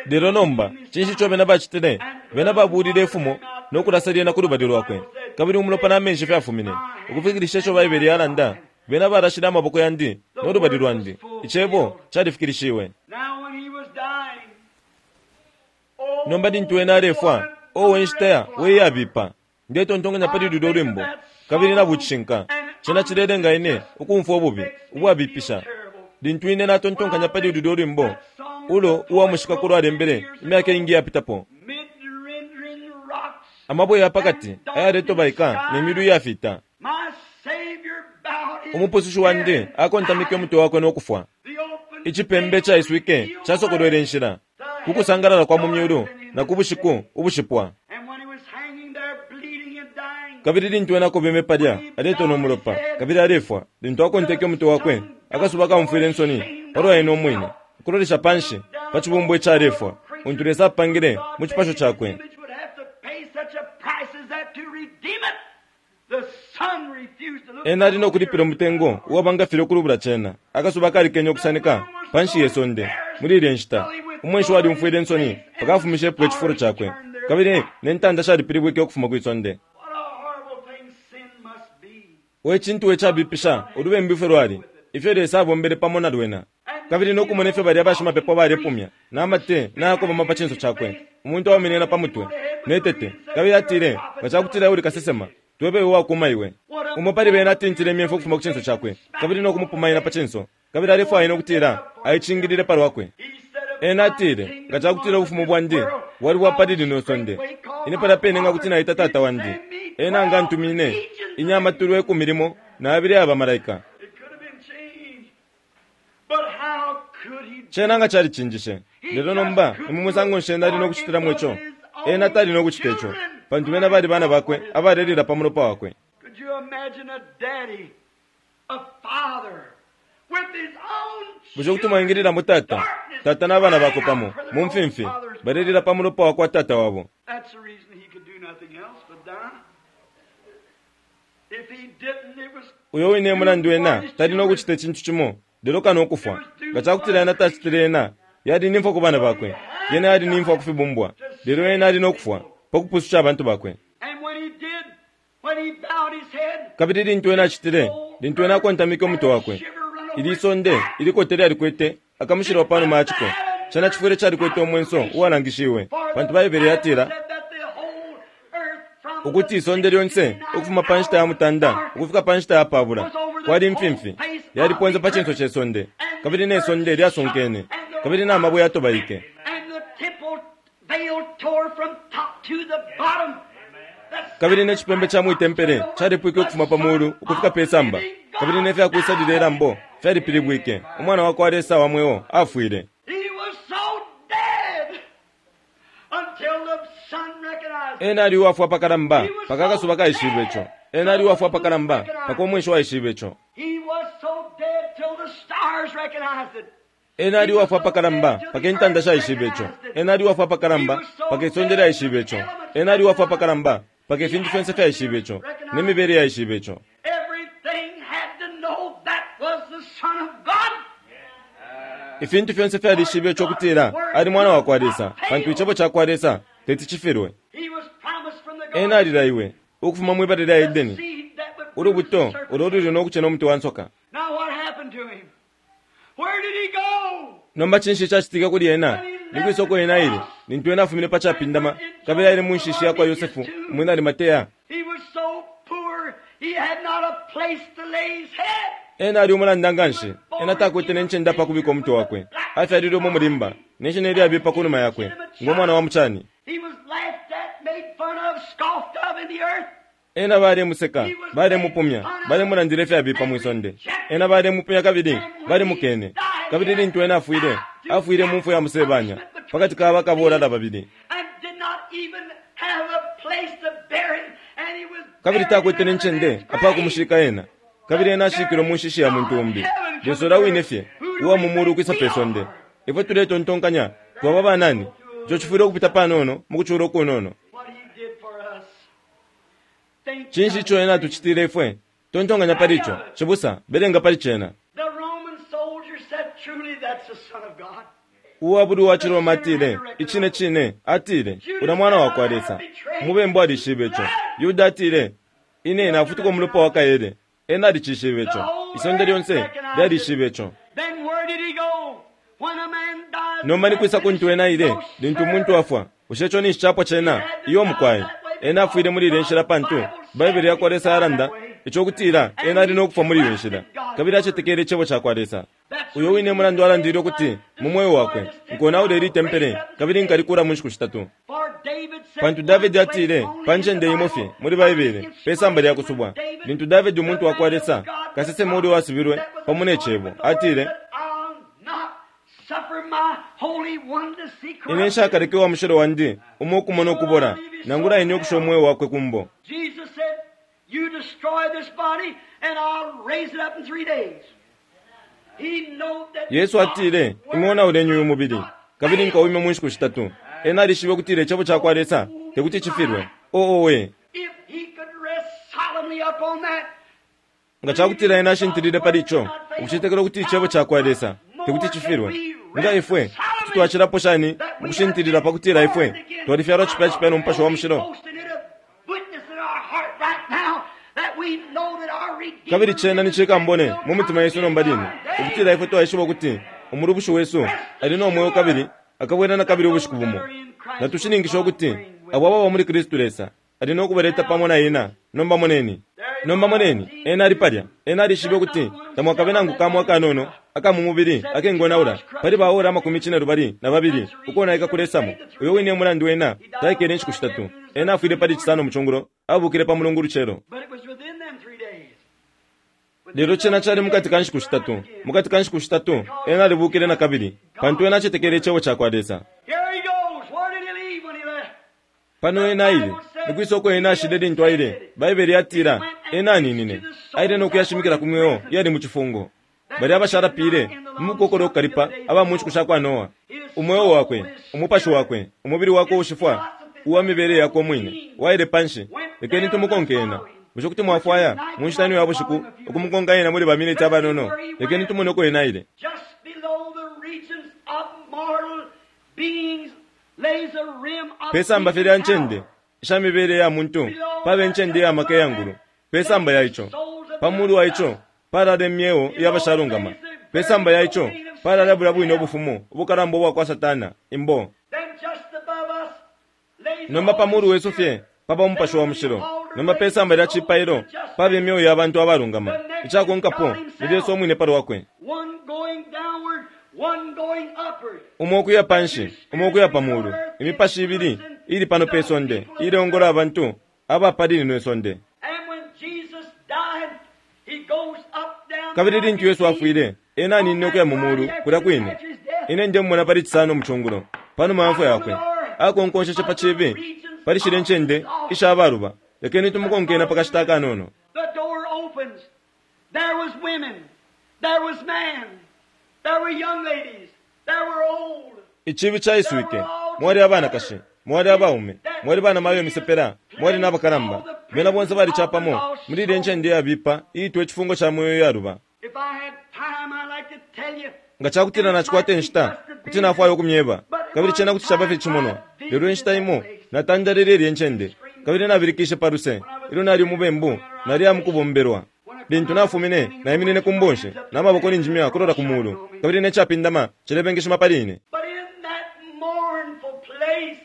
Lelo nomba cinshi ico bena bacitile? Bena babulile ifumo nokulasa lyena ku lubali lwakwe, kabili umulopa na menshi fyafumine ukufikilisha ico Baibele yalanda. Bena barashile amaboko yandi no lubali lwandi. Icebo califikilishiwe. Nomba lintu wena alefwa, owe nshita we yabipa, ndetontonkanya pali lulyo lwimbo kabili na bucishinka. Cena cilelenga ine ukumfwa ububi ubwabipisha lintu ine natontonkanya pali lulyo lwimbo ulo uwamushika lwalembele imyaka ingi yapitapo. Amabwe ya pakati ayaletobaika ne milu iyafita. Umupusushi wandi akontamike umutwe wakwe nokufwa. Icipembe caiswike casokolwele inshila kukusangalala kwa mu myulu na ku bushiku ubushipwa. Kabili lintu ena akobeme palya aletona umulopa kabili alefwa, lintu akonteke umutwe wakwe, akasuba kamufwile insoni palwa ena umwine, ukulolesha panshi pa cibumbu icalefwa untu Lesa apangile mu cipasho cakwe. Ena ali nokulipila umutengo uwabangafile ukulubula cena. Akasuba kalikenya ukusanika panshi ye sonde muli ilye nshita. Umwenshi walimufwile insoni pakafumishepo icifulo cakwe, kabili ne ntanda shalipilibwike ukufuma kwi sonde. We cintu we cabipisha ulubembu ifyo lwali, ifyo Lesa abombele pamo na lwena, kabili nokumona ifyo balya bashimapepo balepumya namate nayakobama pa cinso cakwe. Umuntu awamenena pa mutwe netete, kabili atile, nga cakutila uli kasesema, twebe uwakuma iwe. Umo pali bena atintile imyemfu ukufuma ku cinso cakwe, kabili nokumupumaina pa cinso, kabili alefwaya nokutila aicingilile palwakwe. Ena atile, nga cakutila ubufumu bwandi bwali bwa pali lino sonde, ine palya pene nga kuti naita tata wandi, ena nga ntumine inyama tulwe ikumi limo na abili aba malaika. Cena nga calicinjishe. Lelo nomba imumusango nshena ali nokucitilamo ico. Ena tali nokucita ico, pantu bena bali bana bakwe abalelila pa mulopa wakwe. Bushe kuti mwaingililamo tata, tata na bana bakwe pamo mu mfimfi balelila pa mulopa wakwa tata wabo? Uyo wine mulandu ena tali nokucita icintu cimo lelo kano ukufwa. Nga cakutila ena tacitile ena, yali nimfwa ku bana bakwe, yena yali nimfwa ku fibumbwa, lelo ena ali nokufwa pa kupususha abantu bakwe. Kabili lintu ena acitile, lintu ena akontamike umutwe wakwe, ili sonde ilikote lyalikwete akamushilwa panuma ya ciko. Cena cifwile calikwete umwenso uwalangishiwe, pantu Baibele yatila ukuti isonde lyonse ukufuma pa nshita ya mutanda ukufika pa nshita ya pabula kwali mfimfi yaliponze pa cinso ce sonde, kabili ne sonde lyasunkene, kabili na mabwe yatobaike. Kabili ne cipembe ca mwitempele calipwike ukufuma pa mulu ukufika pe samba, kabili ne fyakwisalila ilambo fyalipilibwike. Umwana wakwa Lesa wa mweo afwile. Ena ali uwafwa pakalamba paka akasuba kaishibe ico. Ena ali uwafwa pakalamba paka umwenshi waishibe ico. Ena ali uwafwa pakalamba paka intanda shaishibe ico. Ena ali uwafwa pakalamba paka isonde lyaishibe ico. Ena ali uwafwa pakalamba paka ifintu fyonse fyaishibe ico, ne mibele yaishibe ico. Ifintu fyonse fyalishibe ico kutila ali mwana wakwa Lesa, pantu icebo cakwa Lesa teti cifilwe. Ena alilaiwe Ukufuma mwibala lya The Edeni, seed that would ulubuto bruise the serpent. ulo luli no kucena umuti wa nsoka. Now what happened to him? Where did he go? Nomba cinshi cacitike kuli ena? Ni kwisoko ena aile, lintu ena afumine pa capindama, kabili aile mu nshishi yakwa Yosefu, umwina Arimateya. He was so poor, he had not a place to lay his head. Ena ali umulanda nganshi, ena takwete ne ncende apa kubika umutwe wakwe. Afyalilwe mu mulimba, ne shina ilyabipa ku numa yakwe, ngo mwana wa mucani. He was laughed at, made fun of, scoffed of in the earth. Ena balemuseka, balemupumya, balemulandila ifyabipa mwisonde. Ena balemupumya kabili balimukene. Kabili lintu ena afwile, afwile mu mfwa ya musebanya, pakati ka bakabolala babili. And did not even have a place to bury him. And he was Kabili buried takwete in ne another ncende man's apa grave. kumushika ena. Kabili ena ashikilwe mu nshishi ya muntu umbi. Lesa ulya wine fye, uwa mu mulu ukwisa pe sonde. Ifwe tuletontonkanya, twaba banani, ico cifwile ukupita panono mu kucula ukunono. What he did for us. Think Cinshi ico ena atucitile ifwe? Tontonkanya pali ico, cibusa, belenga pali cena. The Roman soldier said, truly, that's the Son of God. Uwabuli wa Ciroma atile, icine cine, atile, ula mwana wakwa Lesa. Umubembu alishibe ico. Yuda atile, ine nafutuka umulopa wa kaele. Ena alicishibe ico. Isonde lyonse lyalishibe ico. Then where did he go? When a man dies, Nomba ni kwisa kuntu ena aile, lintu umuntu afwa. Bushe ico ninshi capwa cena? Iyo mukwai. Ena afwile muli ile nshila pantu Baibele yakwa Lesa yalanda ico kutila ena ali no kufwa muli iyo nshila. Kabili acetekele icebo cakwa Lesa. Uyo wine mulandu alandile ukuti mu mweo wakwe nkonaula ili tempele kabili nkalikula mu nshiku shitatu. For David said, Pantu Davidi atile pa ncende imo fye muli Baibele pe samba lya kusubwa. Lintu Davidi umuntu wakwa Lesa kasesema uli wasubilwe pamo ne cebo atile, I'll not suffer my Holy One to see ine corruption. nshakaleke wa mushilo wandi umo ukumona ukubola nangula ine ukusha umweo wakwe kumbo. Jesus said, You destroy this body, and I'll raise it up in three days. He knowed that Yesu atile, imwe onauleni uyu mubili kabili nkawime mu nshiku shitatu. Ena alishibe ukutila icebo cakwa Lesa tekuti cifilwe. Oo we, If he could rest solemnly upon that, nga cakutila ena ashintilile pali ico, ukucetekela ukuti icebo cakwa Lesa tekuti cifilwe. Nga ifwe kuti twacilapo shani ukushintilila pa kutila ifwe twalifyalwa cipya cipya no Mupashi wa Mushilo. Kabili cena ni cikambone mu mitima yesu nomba line, ukutila ifwe twaishiba ukuti umulubushi wesu ali no mweo kabili akabwela na kabili ubushiku bumo. Natushininkisha ukuti abo ababa muli Kristu Lesa ali no kubaleta pamo na ena. Nomba moneni, nomba moneni, ena ali palya. Ena alishibe ukuti tamwakabe nangu kamo akanono aka mu mubili akengonaula pali baora amakumi cine lubali na babili ukonaika kulesamo. Uyo wine mulandu ena taikele inshiku shitatu. Ena afwile pali cisano mucungulo, abukile pa mulungu lucelo. But it was within them three days. Lelo cena cali mukati ka nshiku shitatu. Mukati ka nshiku shitatu ena alibukile na kabili, pantu ena acetekele icebo cakwa Lesa. Here he goes. Where did he leave when he left? Pano ena aile, nikwisa uko ena ashile lintu aile. Baibele yatila ena aninine, aile no kuyashimikila ku mweo yali mu cifungo. Bali abasharapile mu mukokolo okukalipa aba mu nshiku shakwa Noa. Umweo wakwe, umupashi wakwe, umubili wakwe ushifwa, uwa mibele yakwe umwine, waile panshi. Lekeni tumukonke ena. Bushe kuti mwafwaya mu nshita ino ya bushiku ukumukonka ena muli baminiti abanono? Lekeni tumone uko ena aile. Just below the regions of mortal beings lays a rim of Pe samba fye lya ncende isha mibele ya muntu paba incende ya maka ya ngulu. Pe samba ya ico, pa mulu wa ico palala imyeo iyabashalungama. Pe samba ya ico palala bulya bwine ubufumu ubukalamba ubwa kwa Satana imbo. Then just above us lays Nomba pa mulu wesu fye paba umupashi wa mushilo. Nomba pe samba lya cipailo paba imyeo ya bantu abalungama. Icakonkapo ni Lesa umwine pa lwakwe. one going downward, one going upward. Umo ukuya panshi, umo ukuya pa mulu. Imipashi ibili ili pano pe sonde ileongola abantu aba pali lino isonde. And when Jesus died, he goes up down Kabili lintu Yesu afwile, ena aninine ukuya mu mulu kulya kwine. Ine ndemumona pali cisano mucungulo, panuma ya mfwa yakwe. Akonkonsheshe pa cibi, pali shile ncende isha abaluba. Lekeni tumukonke ena pa kashita akanono. The door opens. There was women. There was man. There were young ladies. There were old. Icibi caiswike, mwali abanakashi, mwali abaume, mwali bana mayo imisepela, mwali n'abakalamba. Bena bonse balicapamo muli ile ncende yabipa iitwa icifungo ca mweo yaluba. If I had time, I'd like to tell you. Nga cakutila nacikwata inshita, kuti nafwaya ukumyeba. Kabili cena kuti caba fye cimonwa. Lelo inshita imo natandalile ilye ncende, kabili nabilikishe pa luse. Ilyo nali umubembu, nali amukubombelwa. Lintu nafumine, naiminine ku mbonshi, n'amaboko ninjimya kulola ku mulu, kabili n'ekyapindama cilebengeshima pali ine. But in that mournful place,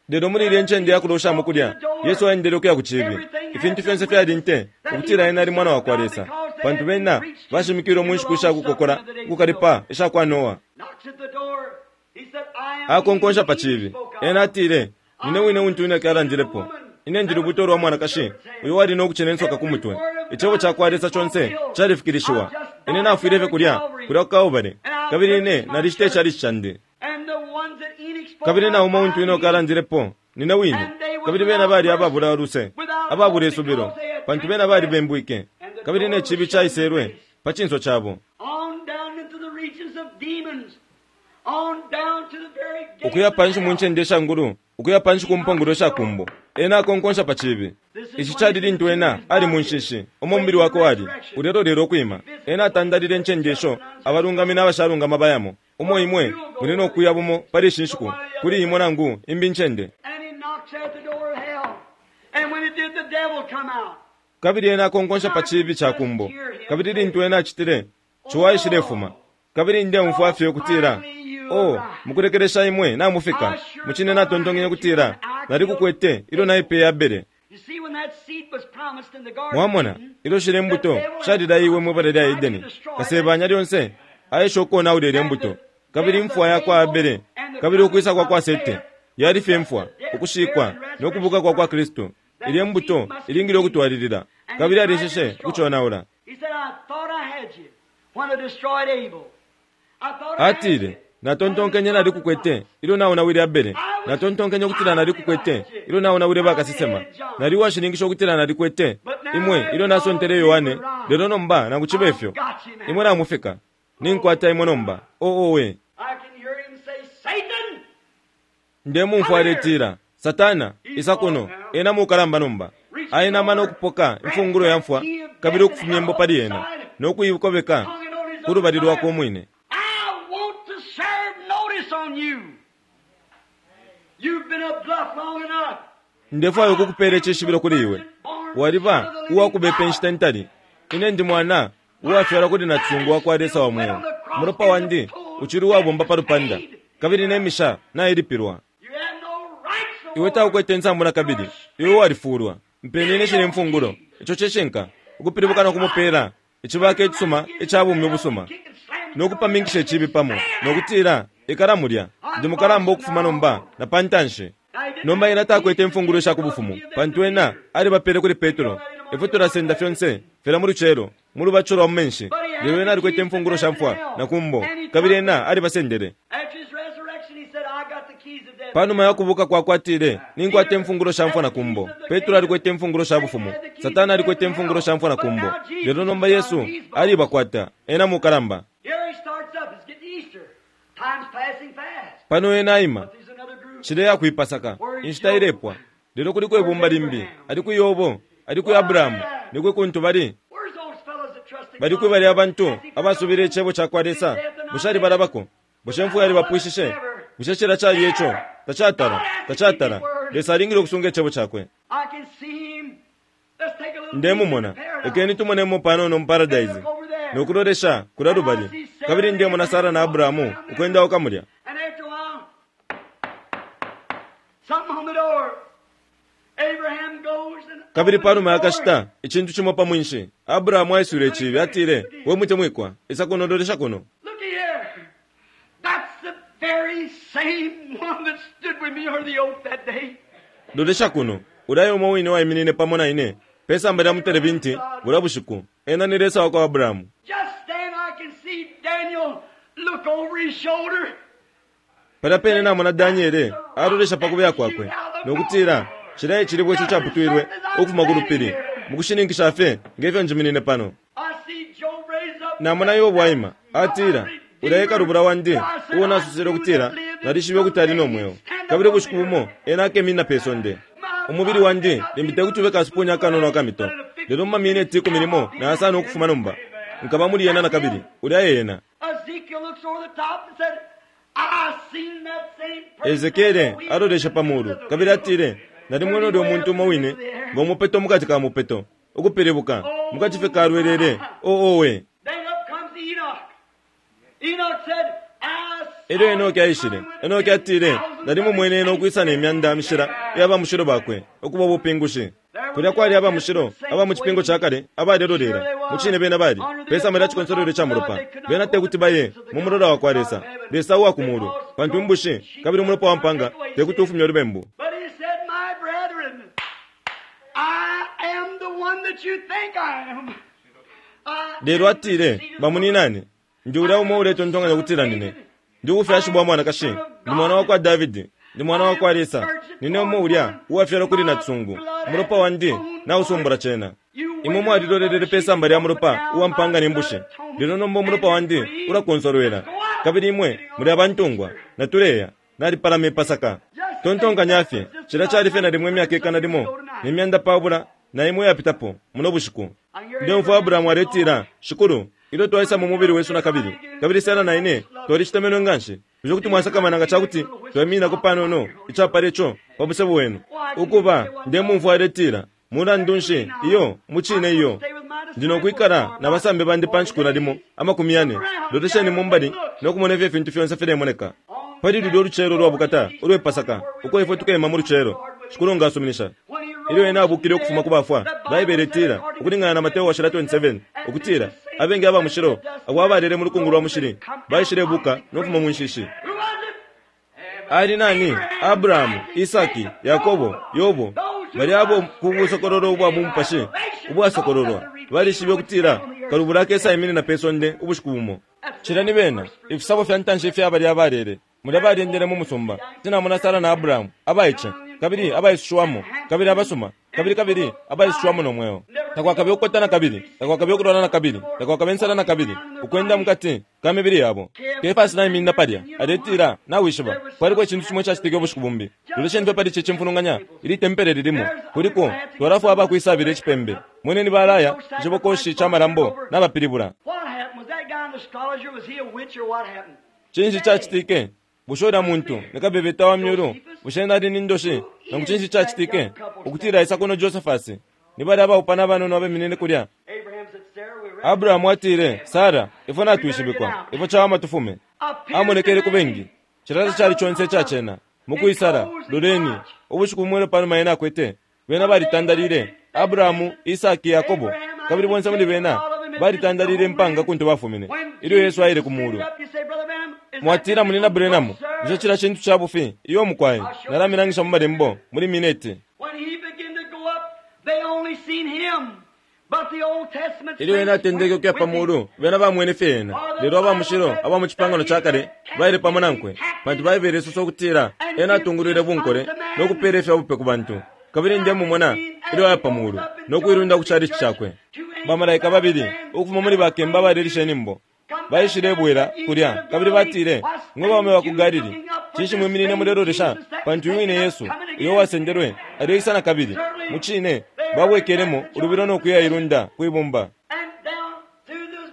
Lelo muli ilya ncende yakuloshamo kulya, Yesu aendele ukuya ku chibi. Ifintu fyonse fyali nte ukutila ena ali mwana wakwa Lesa, pantu bena bashimikilwe mu nshiku ishakukokola ukukalipa isha kwa Noa. knocks at the door. He said, I am Akonkonsha pa he chibi. spoke of. Ena atile, nine wine untu Enoki alandilepo. Ine ndi lubuto lwa mwanakashi uyo wali nokucena insoka ku mutwe. Icebo ca kwa Lesa conse califikilishiwa. Ine nafwile fye kulya, kulya ku Kalbale, kabili ine nalishita icalici candi. And the ones that Enoch spoke Kabili na of, umo untu Enoki alandilepo, nine wine. Kabili bena bali ababula luse, ababula isubilo, pantu bena balibembwike. Kabili ne chibi caiselwe pa cinso cabo. on down into the regions of demons, on down to the very gates Ukuya of panshi mu hell. ncende sha ngulu, ukuya panshi ku mpongolo sha kumbo. Ena akonkonsha pa chibi. Ici cali lintu ena ali mu nshishi, umo umubili wakwe wali ulelolelo ukwima. Ena atandalile incende isho abalungami n'abashalungama bayamo. Umo imwe muli nokuya bumo pali ishi nshiku, kuli imwe nangu imbi incende. And he knocks at the door of hell. And when he did, the devil come out. Kabili ena akonkonsha pa chibi cha kumbo. Kabili lintu ena acitile, ciwa aishilefuma. Kabili ndemfwa fye ukutila, oh, mukulekelesha imwe namufika. Mucine natontonkenye ukutila, nalikukwete ilyo naipeye Abele. You see, when that seed was promised in the garden, Mwamona, ilyo shile mbuto shalilaiwe mwibala lya Edeni, kasebanya lyonse aesha ukonaula ilya mbuto. Kabili imfwa yakwa Abele, kabili ukwisa kwa kwa Sete, yali fye mfwa, ukushikwa no kubuka kwa kwa Kristu. Ilya mbuto ilingile ukutwalilila, kabili alisheshe ukuconaula. He said, I thought I had you when I destroyed Abel. I thought I had Atile, you. natontonkenye nalikukwete ilyo naonawile Abele. Natontonkenye ukutila nalikukwete ilyo naonawile bakasesema. Nali uwashininkisha ukutila nalikwete imwe ilyo nasontele Yohane, lelo nomba nangu cibe ifyo imwe namufika. Ninkwata imwe nomba. Oo we. I can hear him say, Satan! Ndemumfwa aletila, Satana, isa kuno. Ena mukalamba nomba. Aena amano okupoka imfungulo ya mfwa, kabili ukufumya imbo pali ena, nokuikobeka ku lubali lwakwe umwine. I want to serve notice on you. You've been a bluff long enough. Ndefwayo ukukupela icishibilo kuli iwe. Waliba uwakubepa inshita ntali. Ine ndi mwana uwafyalwa kuli nacisungu wakwa Lesa wa mweo. Umulopa wandi uchili uwabomba pa lupanda, kabili ne misha nailipilwa. You have no rights no Iwe more. taukwete nsambu na kabili, iwe walifulwa. Mpeni ine shine imfungulo, ico cishinka, ukupilibuka no kumupela icibaka icisuma ica bumi ubusuma, nokupaminkisha icibi pamo, nokutila ikala mulya. Ndi mukalamba ukufuma nomba na pa ntanshi. Nomba ena takwete imfungulo sha kubufumu, pantu ena alibapele kuli Petro. Ifwe tulasenda fyonse fila mu lucelo mu lubaco lwa mu menshi, lelo ena alikwete imfungulo sha mfwa na kumbo, kabili ena alibasendele. After his resurrection, he said, I got the keys of death. Panuma ya kubuka kwakwe atile, ninkwata imfungulo sha mfwa na kumbo. Petro alikwete imfungulo sha bufumu, Satana alikwete imfungulo sha mfwa na kumbo, lelo nomba Yesu alibakwata. Ena mukalamba. Here he starts up. It's getting Easter. Time's passing fast. Pano ena aima But there's another group. cileya kuipasaka, inshita ilepwa. Lelo kuliko ibumba limbi, ali ku Yobo, ali ku Abrahamu, ni kwi kuntu bali. Where's those fellows that trusted Bali God? kwi bali abantu abasubile icebo ca kwa Lesa. Bushe alibalabako? Bushe imfwa yalibapwishishe? Bushe cila cali ico? Tacatala, tacatala. Lesa alingile ukusunga icebo cakwe. I can see him. Let's take a little Ndemumona, peek in paradise. lekeni tumonemo panono mu paradise, nokulolesha kulya lubali. Kabili ndemona Sara na Abrahamu ukwendauka mulya. And after a while, something on the door. Abraham goes and Kabili panuma opens the door. yakashita icintu cimo pa mwinshi, Abrahamu aiswile icibi, atile, we mutemwikwa, isa kuno lolesha kuno. Look here. That's the very same one that stood with me under the oak that day. Lolesha kuno, ulya umo wine waiminine pamo na ine pesamba lya mutelebinti bulya bushiku. Ena ni Lesa wakwa Abrahamu. Just then I can see Daniel look over his shoulder. Palya pene namona Daniele alolesha pa kubeya kwakwe, nokutila cila icilibwe ico caputwilwe ukufuma ku lupili, mukushininkisha fye ngefyo njiminine pano. I see Job raise up. Namona Yobu aima, atila, ulya ekalubula wandi uo nasusile ukutila nalishibe ukuti ali no mweo, kabili ubushiku bumo ena akeminina pe sonde. Umubili wandi limbi tekuti ube kasupuni akanono akamito, lelo mu mamineti ikumi limo na yasano ukufuma nomba nkaba muli yena na kabili. Ulya ena. Ezekiel looks over the top and said, I seen that same person. Ezekiele alolesha pa mulu kabili atile, Nalimwene ulyo muntu umo wine ngo mupeto mukati ka mupeto, ukupilibuka mukati fye kalwelele. Oh, owe! Then up comes Enoch. Enoch said, I saw Elyo Enoki aishile. Enoki atile, nalimumwene ena ukwisa ne myanda mishila iya mushilo bakwe, ukuba ubupingushi. Kulya kwali aba mushilo, aba mu cipingo ca kale, abalelolela. Mucine bena bali, pesamba lya cikonsolwelo ca mulopa. Bena tekuti baye mu mulola wa kwa Lesa, Lesa uwa ku mulu, pantu imbushi kabili umulopa wa mpanga tekuti ufumye ulubembu. But he said, my brethren, I am the one that you think I am. I Lelo atile, bamuninane, ndi ulya umo uletontonkanya ukutila nine. Ndi ubufyashi bwa mwanakashi, ndi mwana wa kwa Davidi, ndi mwana wa kwa Lesa. Nine umo ulya uwafyalwa kuli natsungu. Umulopa wandi nausumbula cena. Imwe mwalilolelele pe samba lya mulopa uwa mpanga ne mbushi. Lelo nomba umulopa wandi ulakonsolwela. Kabili imwe muli abantungwa, natuleya, nalipalama ipasaka. Tontonkanya fye, cila cali fye nalimwe imyaka ikana limo, ne myanda pabula, na imwe yapitapo, muno bushiku. Ndemfwa Abrahamu aletila, Shikulu, ilyo twaisa mu mubili wesu na kabili, kabili Sara na ine twalishitemenwe nganshi. Bushe kuti mwasakamana nga cakuti twaiminako panono icapala ico pa musebo wenu? Ukuba, ndemumfwa aletila, mulandu nshi, iyo, mucine iyo. Ndi nokwikala na basambi bandi pa nshiku nalimo amakumi yane. Lolesheni mumbali no kumona ifyo ifintu fyonse filemoneka. Pali lulyo lucelo lwa bukata ulwe Pasaka, uko ifwe tukema mu lucelo, Shikulu nga asuminisha. Ilyo ena abukile ukufuma ku bafwa, Baibele itila, ukulingana na Mateo washila twenty-seven, ukutila abengi aba mushilo abo abalele mu lukungu lwa mushili baishile buka no kufuma mu nshishi. Who was it? Ali nani? Abrahamu, Isaki, Yakobo, Yobo, bali abo ku busokololo ubwa mu mupashi ubwasokololwa balishibe ukutila kalubula akesa iminina pe sonde ubushiku bumo. Cila ni bena ifisabo fya ntanshi ifya bali abalele mulya balyendele mu musumba. Tinamona Sara na Abrahamu abaice kabili abaisushiwamo kabili abasuma kabili kabili abaisushiwamo no mweo. Takwakabe ukukota na kabili, takwakabe ukulwala na kabili, takwakabe insala na kabili, ukwenda mukati ka mibili yabo. Kefasi naiminina palya aletila, nawishiba kwaliko icintu cimo icacitike ubushiku bumbi. Lolesheni fye pali ici cimfulunganya ili tempele lilimo kuliko twalafwa abakwisabila icipembe. Mweneni balaya icibokoshi ca malambo n'abapilibula. What happened? Was that guy an astrologer? Was he a witch or what happened? Cinshi cacitike? Bushe ulya muntu nikabebeta wa myulu? Bushe nali ni ndoshi? Nangu cinshi cacitike ukutila isa kuno Josephus? Ni bali abaupana abanono abeminine kulya. Abraham said, Sarah, we Abrahamu atile, Sara, ifwe natwishibikwa, ifwe cawama tufume. Amonekele ku bengi, cilala cali conse icacena. Mukwisala, loleni, ubushiku bumwe panuma ena akwete, bena balitandalile, Abrahamu, Isaki, Yakobo, kabili bonse muli bena balitandalile impanga kuntu bafumine. Ilyo Yesu aile ku mulu. Mwatila munina Branham, bushe cila cintu ca bufi? Iyo mukwaye, nalamilangisha mu malembo muli mineti. When he began to go up, they only seen him. But the Old Testament Ilyo ena atendeke ukuya pa mulu, bena bamwene fye ena. Lelo aba mushilo aba mu cipangano ca kale baile pamo nankwe, pantu Baibele isosa ukutila ena atungulwile bunkole no kupeela ifya bupe ku bantu. Kabili ndemumona ilyo aya pa mulu no kuilunda ku chalichi cakwe. Bamalaika babili ukufuma muli bakemba balelisha inyimbo baishile bwela kulya kabili batile, mwe baume ba ku Galili, cinshi mwiminine mulelolesha? Pantu uyu wine Yesu uyo wasendelwe aleisa na kabili. Mucine babwekelemo ulubilo no kuya ilunda kwibumba. and down through the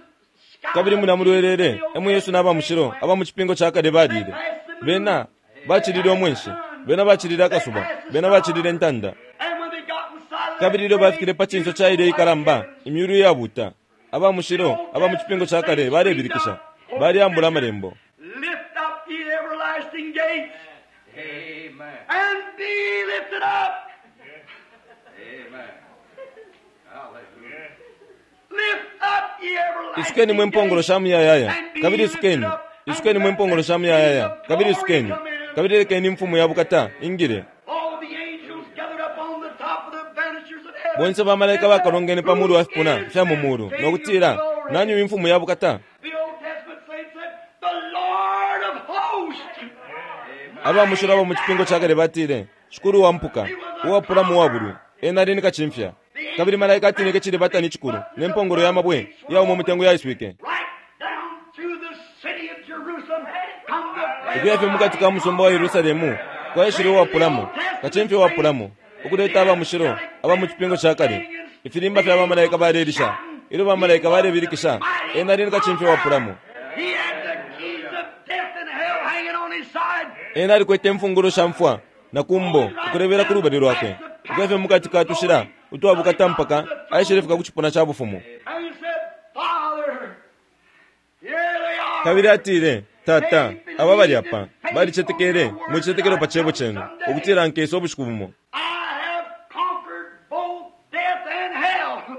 sky. Kabili muna mulwelele emu Yesu n'aba mushilo aba mu cipingo ca kale balile. Bena bacilile umwenshi, bena bacilile akasuba, bena bacilile intanda. And when they got inside of Kabili ilyo bafikile pa cinso ca ile ikalamba, imyulu iyabuta, aba mushilo aba mu cipingo ca kale balebilikisha, baleambula amalembo. Lift up ye everlasting gates Amen. and be lifted up. Amen. Hallelujah. Lift up ye everlasting Isukeni mwe mpongolo gates sha muyayaya, and be kabili lifted isukeni. up, and Isukeni mwe let mpongolo the sha muyayaya, King of kabili glory isukeni. come in. Kabili lekeni imfumu ya bukata ingile. All the angels gathered up on the top of the banisters of heaven. Bonse bamalaika bakalongene pa mulu wa fipuna Who is fya mu mulu, this no kutila, King of glory? nani uyu imfumu ya bukata? The Old Testament saints said, the Lord of hosts. Aba mushilo aba mu cipingo ca kale batile, Shikulu wa mpuka, uwapula mu wabulwi, ena ali ni kacimfya. Kabili malaika atinike cili batani cikulu, ne mpongolo ya mabwe yauma umutengo yaiswike. Right down through the city of Jerusalem come the Ukuya fye mukati ka musumba wa Yerusalemu, kwaishile uwapulamo, kacimfya uwapulamo, ukuleta aba mushilo aba mu cipingo ca kale. Ifilimba fya bamalaika balelisha, ilyo bamalaika balebilikisha, ena ali ni kacimfya uwapulamo. He had the keys of death and hell hanging on his side. Ena alikwete imfungulo sha mfwa na kumbo ukulebela ku lubali lwakwe ukuya mukati ka tushila utwabukata mpaka aishilefika ku cipuna ca bufumu. And he said, Father, here they are. Kabili atile, Tata, aba bali apa balicetekele mu cicetekelo pa cebo cenu ukutila nkesa ubushiku bumo. I have conquered both death and hell.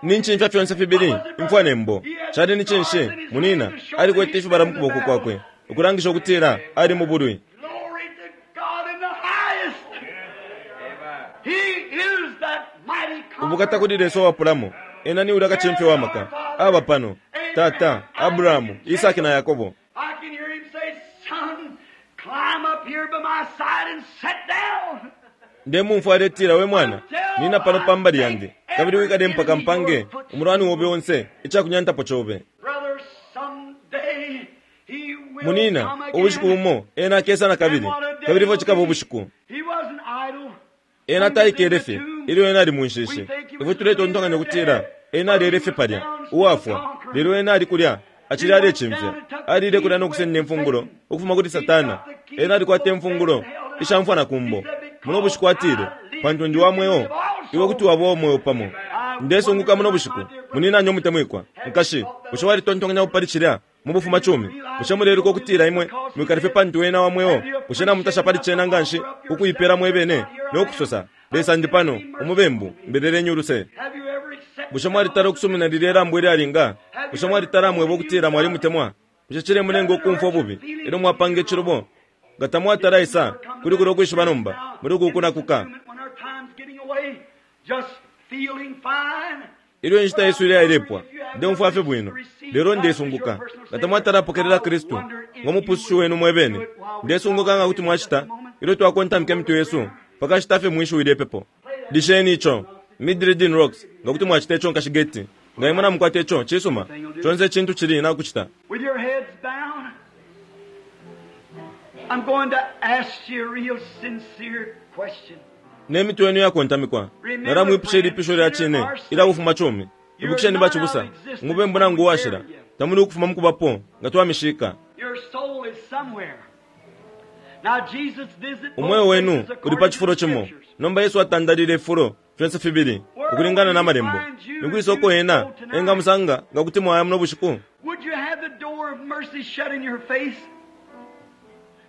Ni ncimfya fyonse fibili imfwa ne mbo. Cali ni cinshi munina alikwete ifibala mu kuboko kwakwe ukulangisha ukutila ali mu bulwi. Glory to God in the highest. He is that mighty Ubukata conqueror. kuli Lesa uwapulamo ena ni ulya kacimfya wa maka aba pano tata Abrahamu, Isaki na Yakobo. I can hear him say, Son, climb up here by my side and sit down. Ndemumfwa aletila, we mwana nina pano pambali yandi kabili wikale mpaka mpange umulwani wobe onse icakunyantapo cobe. Brother, someday he will Munina come again. ubushiku bumo ena akesa na kabili kabili ifyo cikaba ubushiku. He wasn't idle. Ena taikele fye ilyo ena ali mu nshishi. Ifwe tuletontonkanya ukutila ena alele fye palya uwafwa, lelo ena ali kulya acili alecimfya. Alile kulya no kusenda imfungulo ukufuma kuli Satana. Ena alikwata imfungulo ishamfwa na kumbo. Muno bushiku atile, pantu ndi wa mweo iwe kuti waba uwa mweo pamo. Ndesunguka muno bushiku muninanye umutemwikwa nkashi, bushe walitontonkanya pali cilya mu bufuma cumi? Bushe muleluka ukutila imwe mwikale fye pantu ena wa mweo? Bushe namutasha pali cena nganshi ukuipela mwebene no kusosa, Lesa ndi pano umubembu mbelelenyi uluse? Have you ever accepted Bushe mwalitala ukusumina lilya ilambo ilyalinga? Bushe mwalitala mweba ukutila mwalimutemwa? Bushe cilemulenga ukumfwa ububi ilyo mwapanga icilubo? Nga tamwatala isa kuli kulya ukwishiba nomba muli uku kunakuka. When our time's getting away, just feeling fine. Ilyo inshita yesu ileyalepwa ndemfwa fye bwino lelo ndesunguka nga tamwatalapokelela Kristu ngo mupusushi wenu mwebene. Ndesunguka nga kuti mwacita ilyo twakontamika imitwe yesu pakashita fye mwishiwi lyepepo. Lisheni ico Midredin Rocks nga kuti mwacita ico nkashigeti. Nga imwe namukwata ico cisuma conse icintu cili nakucita. With your heads down, I'm going to ask you a real sincere question. Ne mitwe yenu yakontamikwa nalamwipusha ilipisho lya cine ilya kufuma cumi. Ibukisheni bacibusa umubembu nangu uwashila tamuli ukufuma mukubapo nga twamishika. Your soul is somewhere. Now Jesus visited both Umweo wenu places uli according pa to cifulo the cimo. Scriptures. Nomba Yesu atandalile ifulo fyonse fibili ukulingana na malembo. Nikwisoko ena engamusanga nga kuti mwaya muno bushiku. Would you have the door of mercy shut in your face?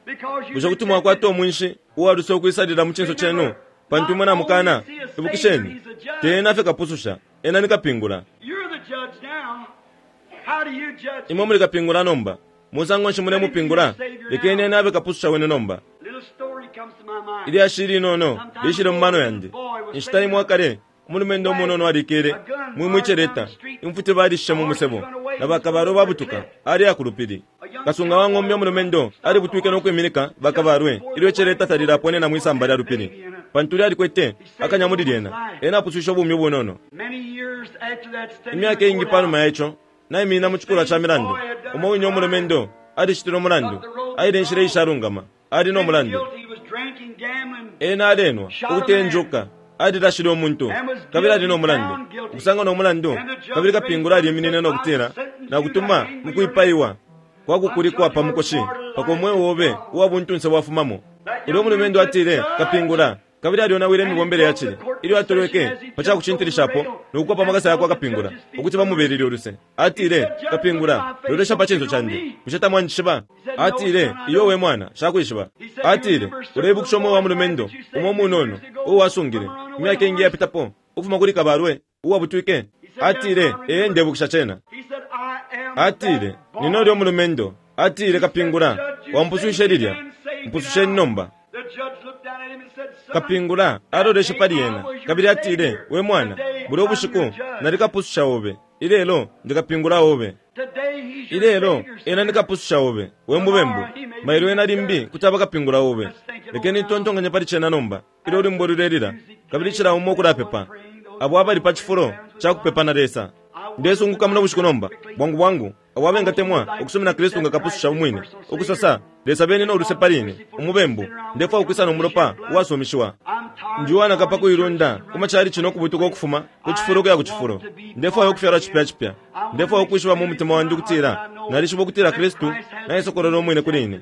Because you Bushe kuti mwakwata umwinshi uwaluse ukwisalila mu cinso cenu pantu imwe namukana? Ibukisheni, te ena fye kapususha, ena ni kapingula. You're the judge now. How do you judge? Imwe muli kapingula nomba. Musango nshi mulemupingula? Lekeni ena abe kapususha wenu nomba. Little story comes to my mind. Ilyashi linono lishile mu mano yandi. Inshita imwe akale umulumendo umunono alikele mwimwiceleta imfuti balishishe mu musebo na bakabalo babutuka ali akulupili. Kasunga wa ng'ombe umulumendo alibutwike no kwiminika bakabalwe ilyo iceleta talilaponena mwisamba lya lupili pantu lyalikwete akanya muli lyena. Ena apuswishe ubumi ubunono. Many years after that standing Imyaka iingi panuma ya ico naimina mu cikulwa ca milandu. Umo wine umulumendo alicitile umulandu, aile inshila ishalungama, ali no mulandu. guilty, he was drinking, gambling, Ena alenwa ukutenjuka alilashile umuntu kabili ali no mulandu ukusanga no mulandu kabili kapingula aliminine no kutila nakutuma mukwipaiwa kwakukulikwa pa mukoshi paka umweo wobe uwa buntunse bwafumamo. Ulyo umulumendo atile kapingula kabili alionawile imibombele ya cile ilyo atolweke pa cakucintilishapo nokukopa amakasa yakwe akapingula ukuti bamubelele uluse. Atile, kapingula lolesha pa cinso candi, bushe tamwanjishiba? Atile, iyo we mwana shakwishiba. Atile, uleibukisha umwe wa mulumendo umwe umunono uwo wasungile imyaka ingi yapitapo ukufuma kuli kabalwe uwabutwike? Atile, ee ndebukisha cena. He said, I am Atile, that boy. nino lyo mulumendo. Atile, kapingula wampusushe lilya, mpususheni nomba. The judge looked down at him and said, Son, Kapingula aloleshe pali ena kabili atile, we mwana, buli ubushiku nalikapususha obe, ilelo ndikapingula obe. today he's your Ilelo Savior. ena ndikapususha obe, we mubembu. Mailo ena limbi kuti abakapingula obe. Lekeni tontonkanye pali cena nomba ilyo ulwimbo lulelila kabili cila umo ukulapepa abo abali pa cifulo ca kupepa na Lesa. Ndesunguka muno bushiku nomba bwangu bwangu abo abengatemwa ukusumina Kristu nga kapususha umwine ukusosa, Lesa beni no luse pali ine umubembu, ndefwa ukwisa no mulopa uwasumishiwa. I'm Ndiwanaka pakuilunda kumachali chino kubutuka okufuma ku chifulo kuya ku chifulo. Ndefwayo okufyalwa chipya chipya. Ndefwayo okwishiba mu mutima wandi ukutila nalishiba ukutila Kristu naisokololo omwine kuli ine.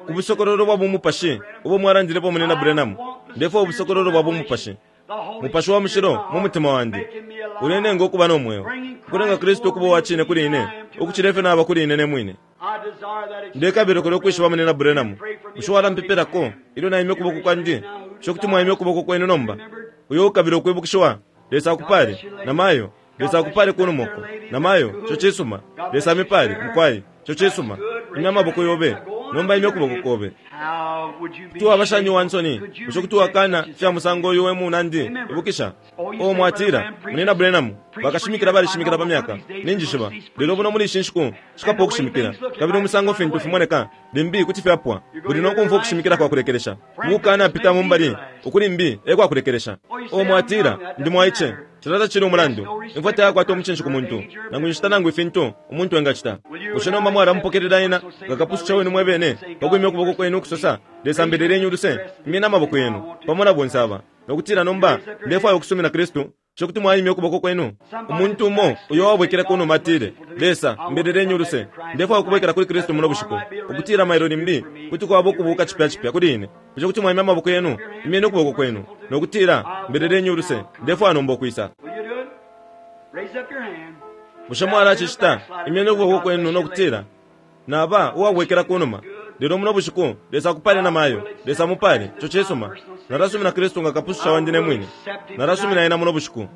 Ku busokololo bwa bumupashi ubo mwalandilepo munena Branham, ndefwayo obusokololo bwa bumupashi. Mupashi wa mushilo mu mutima wandi ulenenga okuba n'omweo, ukulenga Kristu okuba owachine kuli ine ukuchila ifyo naba kuli ine ne mwine. Ndekabila kulya okwishiba munena Branham, bushe walampepelako ilyo naimya ukuboko kwandi? Bushe kuti mwaimya ukuboko kwenu nomba? Uyo ukabila ukwibukishiwa, Lesa akupale namayo. Lesa akupale kunumoko namayo. Ico cisuma. Lesa amipale mukwai. Ico cisuma. Imya amaboko yobe nomba, imya ukuboko kobe. Kuti waba shani uwa nsoni? Bushe kuti wakana fya musango uyu we munandi? Ibukisha o mwatila munena Branham, bakashimikila balishimikila pa myaka ninjishiba, lelo buno muli ishi nshiku shikapo okushimikila, kabili umusango fintu fimoneka limbi kuti fyapwa. Buli nokumfwa okushimikila kwa kulekelesha ukukana pita mu mbali ukuli mbi e kwa kulekelesha. O mwatila ndi mwaice, cilata cili umulandu. Imfwa tayakwata umucinshi ku muntu, nangu inshita nangu ifintu umuntu engacita. Bushe nomba mwalamupokelela ena nga kapususha wenu mwebene pakwimya ukuboko kwenu ukusosa, Lesa mbeleleni uluse, imyeni amaboko yenu pamo na bonse aba, nokutila nomba ndefwaya ukusumina Kristu? Bushe kuti mwaimya ukuboko kwenu? Umuntu umo uyo wabwekele kunuma atile, Lesa mbeleleni uluse, ndefwaya ukubwekela kuli Kristu muno bushiku, ukutila mailo limbi kuti kwaba ukubuka chipya chipya kuli ine. Bushe kuti mwaimya amaboko yenu? Imyeni ukuboko kwenu nokutila, mbeleleni uluse, ndefwaya nomba ukwisa. Bushe mwalacicita? Imyeni ukuboko kwenu nokutila, naba uwabwekela kunuma, lelo muno bushiku Lesa akupale na mayo. Lesa mupale. Ico cisuma. Nalasumina Kristu nga kapususha wandi ne mwine. Nalasumina ena muno bushiku.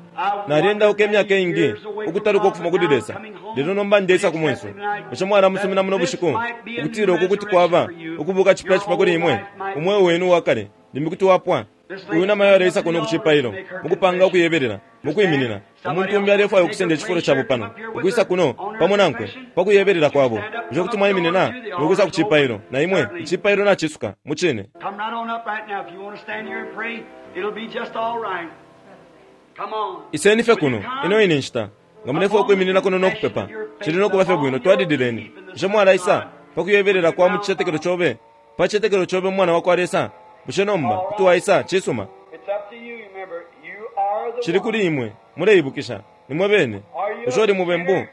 Nalyendauka emyaka iingi ukutaluka ukufuma kuli Lesa, lelo nomba ndeisa ku mwenso. Bushe mwalamusumina muno bushiku ukutila uku kuti kwaba ukubuka chipya chipya kuli imwe? Umweo wenu uwakale limbi kuti wapwa. Uyu namayo aleisa kuno ku cipailo mukupanga ukuyebelela mukwiminina. Umuntu umbi alefwaya ukusenda icifulo cabo pano, ukwisa kuno pamo nankwe pakuyebelela kwabo. Bushe kuti mwaiminina nokwisa ku cipailo na imwe? Icipailo nacisuka mucine. Iseni fye kuno ino ine nshita. Nga mulefwaya ukwiminina kuno nokupepa, cili nokuba fye bwino. Twalilileni. Bushe mwalaisa pakuyebelela kwa mu cicetekelo cobe, pa cicetekelo cobe mu mwana wa kwa Lesa? Bushe nomba kuti waisa? Cisuma. Cili kuli imwe. Muleibukisha nimwe bene. Bushe uli mubembu?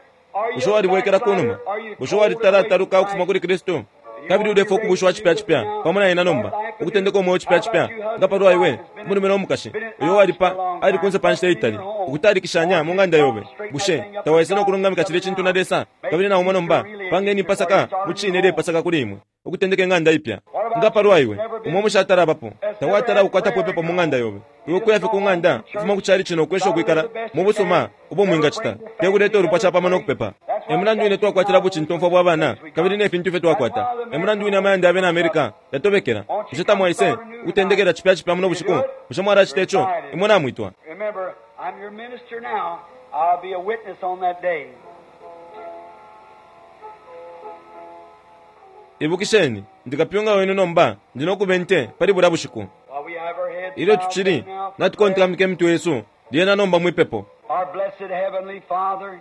Bushe walibwekela kunuma? Bushe walitalataluka ukufuma kuli Kristu? Kabili ulefwaya ukubushiwa chipya chipya pamo na ena nomba, ukutendeka umweo chipya chipya. Nga palwa iwe, umulume no mukashi uyo walipa ali kunse pa nshita itali, ukutalikishanya mu ng'anda yobe, bushe tawaisa nokulungamika cilya cintu na Lesa? Kabili naumwe nomba, pangeni ipasaka mucine ilepasaka kuli imwe, ukutendeka ing'anda ipya. Nga palwa iwe, umwe mushatalabapo, tawatala ukwatapo ipepo mu ng'anda yobe, iwe kuya fye ku ng'anda ukufuma ku cali cino ukwesha ukwikala mu busuma ubo mwingacita, te kuleta ulupwa capamo nokupepa. E mulandu wine twakwatila bucintomfwa bwa bana kabili ne fintu ifyo twakwata. E mulandu wine amayanda abena Amerika yatobekela. Bushe tamwaise ukutendekela chipya chipya muno bushiku? Bushe mwalacita ico? Imwe namwitwa. Remember, I'm your minister now. I'll be a witness on that day. Ibukisheni, ndikapyunga wenu nomba, ndi nokuba inte pali bulya bushiku. Ilyo tucili natukontamika imitwe yesu, lyena nomba mwipepo. Our blessed heavenly Father,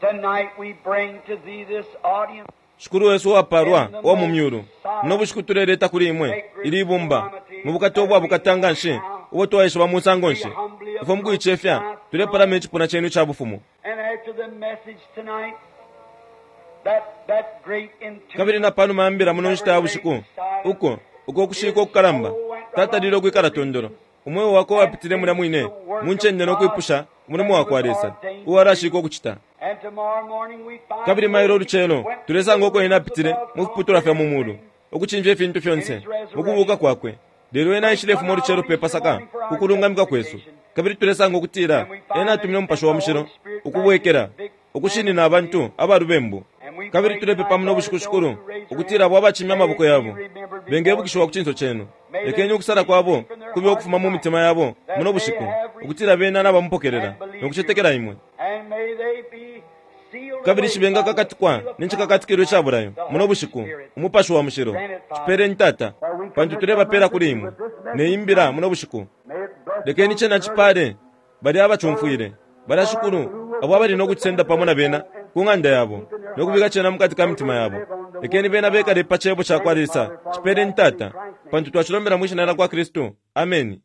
tonight we bring to thee this audience. Shikulu wesu uwapalwa uwa mu myulu, muno bushiku tuleleta kuli imwe ili ibumba mu bukata ubwa bukata nshi ubo twaishiba mu nsango nshi. Ifwe mukuicefya tulepalama icipuna cenu ica bufumu. And after the message tonight, that, that great Kabili na panuma ya mbila muno nshita ya bushiku, uko uko kushika okukalamba tatalile ukwikala tondolo. Umweo wakwe wapitile mulya mwine mu ncende nokwipusha umulimo wakwa Lesa uwalashika ukucita. And tomorrow morning we find Kabili mailo olucelo tulesanga uko ena apitile mu fiputulwa fya mu mulu ukucimfya ifintu fyonse mukubuka kwakwe. Lelo ena aishilefuma olucelo pe Pasaka ku kulungamika kwesu. Kabili tulesanga ukutila ena atumine umupashi wa mushilo ukubwekela ukushinina abantu abalubembu. Kabili tulepepa muno bushiku shikulu ukutila abo abacimya amaboko yabo bengebukishiwa ku cinso cenu. Lekeni ukusala kwabo kube ukufuma mu mitima yabo muno bushiku, ukutila bena nabamupokelela nokucetekela imwe. And may they be sealed Kabili away shibenga by the kakatikwa seal of nenchikakatikilo ica bulayo muno bushiku umupashi wa mushilo. Cipeleni Tata, pantu tulebapela kuli imwe neimbila muno bushiku. Lekeni cena cipale bali abacumfwile balya shikulu abo abali nokucisenda pamo na bena ku ng'anda yabo nokubika cena mukati ka mitima yabo Lekeni bena bekale pa Cebo cakwa Lesa. Cipeleni, Tata, pantu twacilombela mwi Shina lyakwa Kristu. Ameni.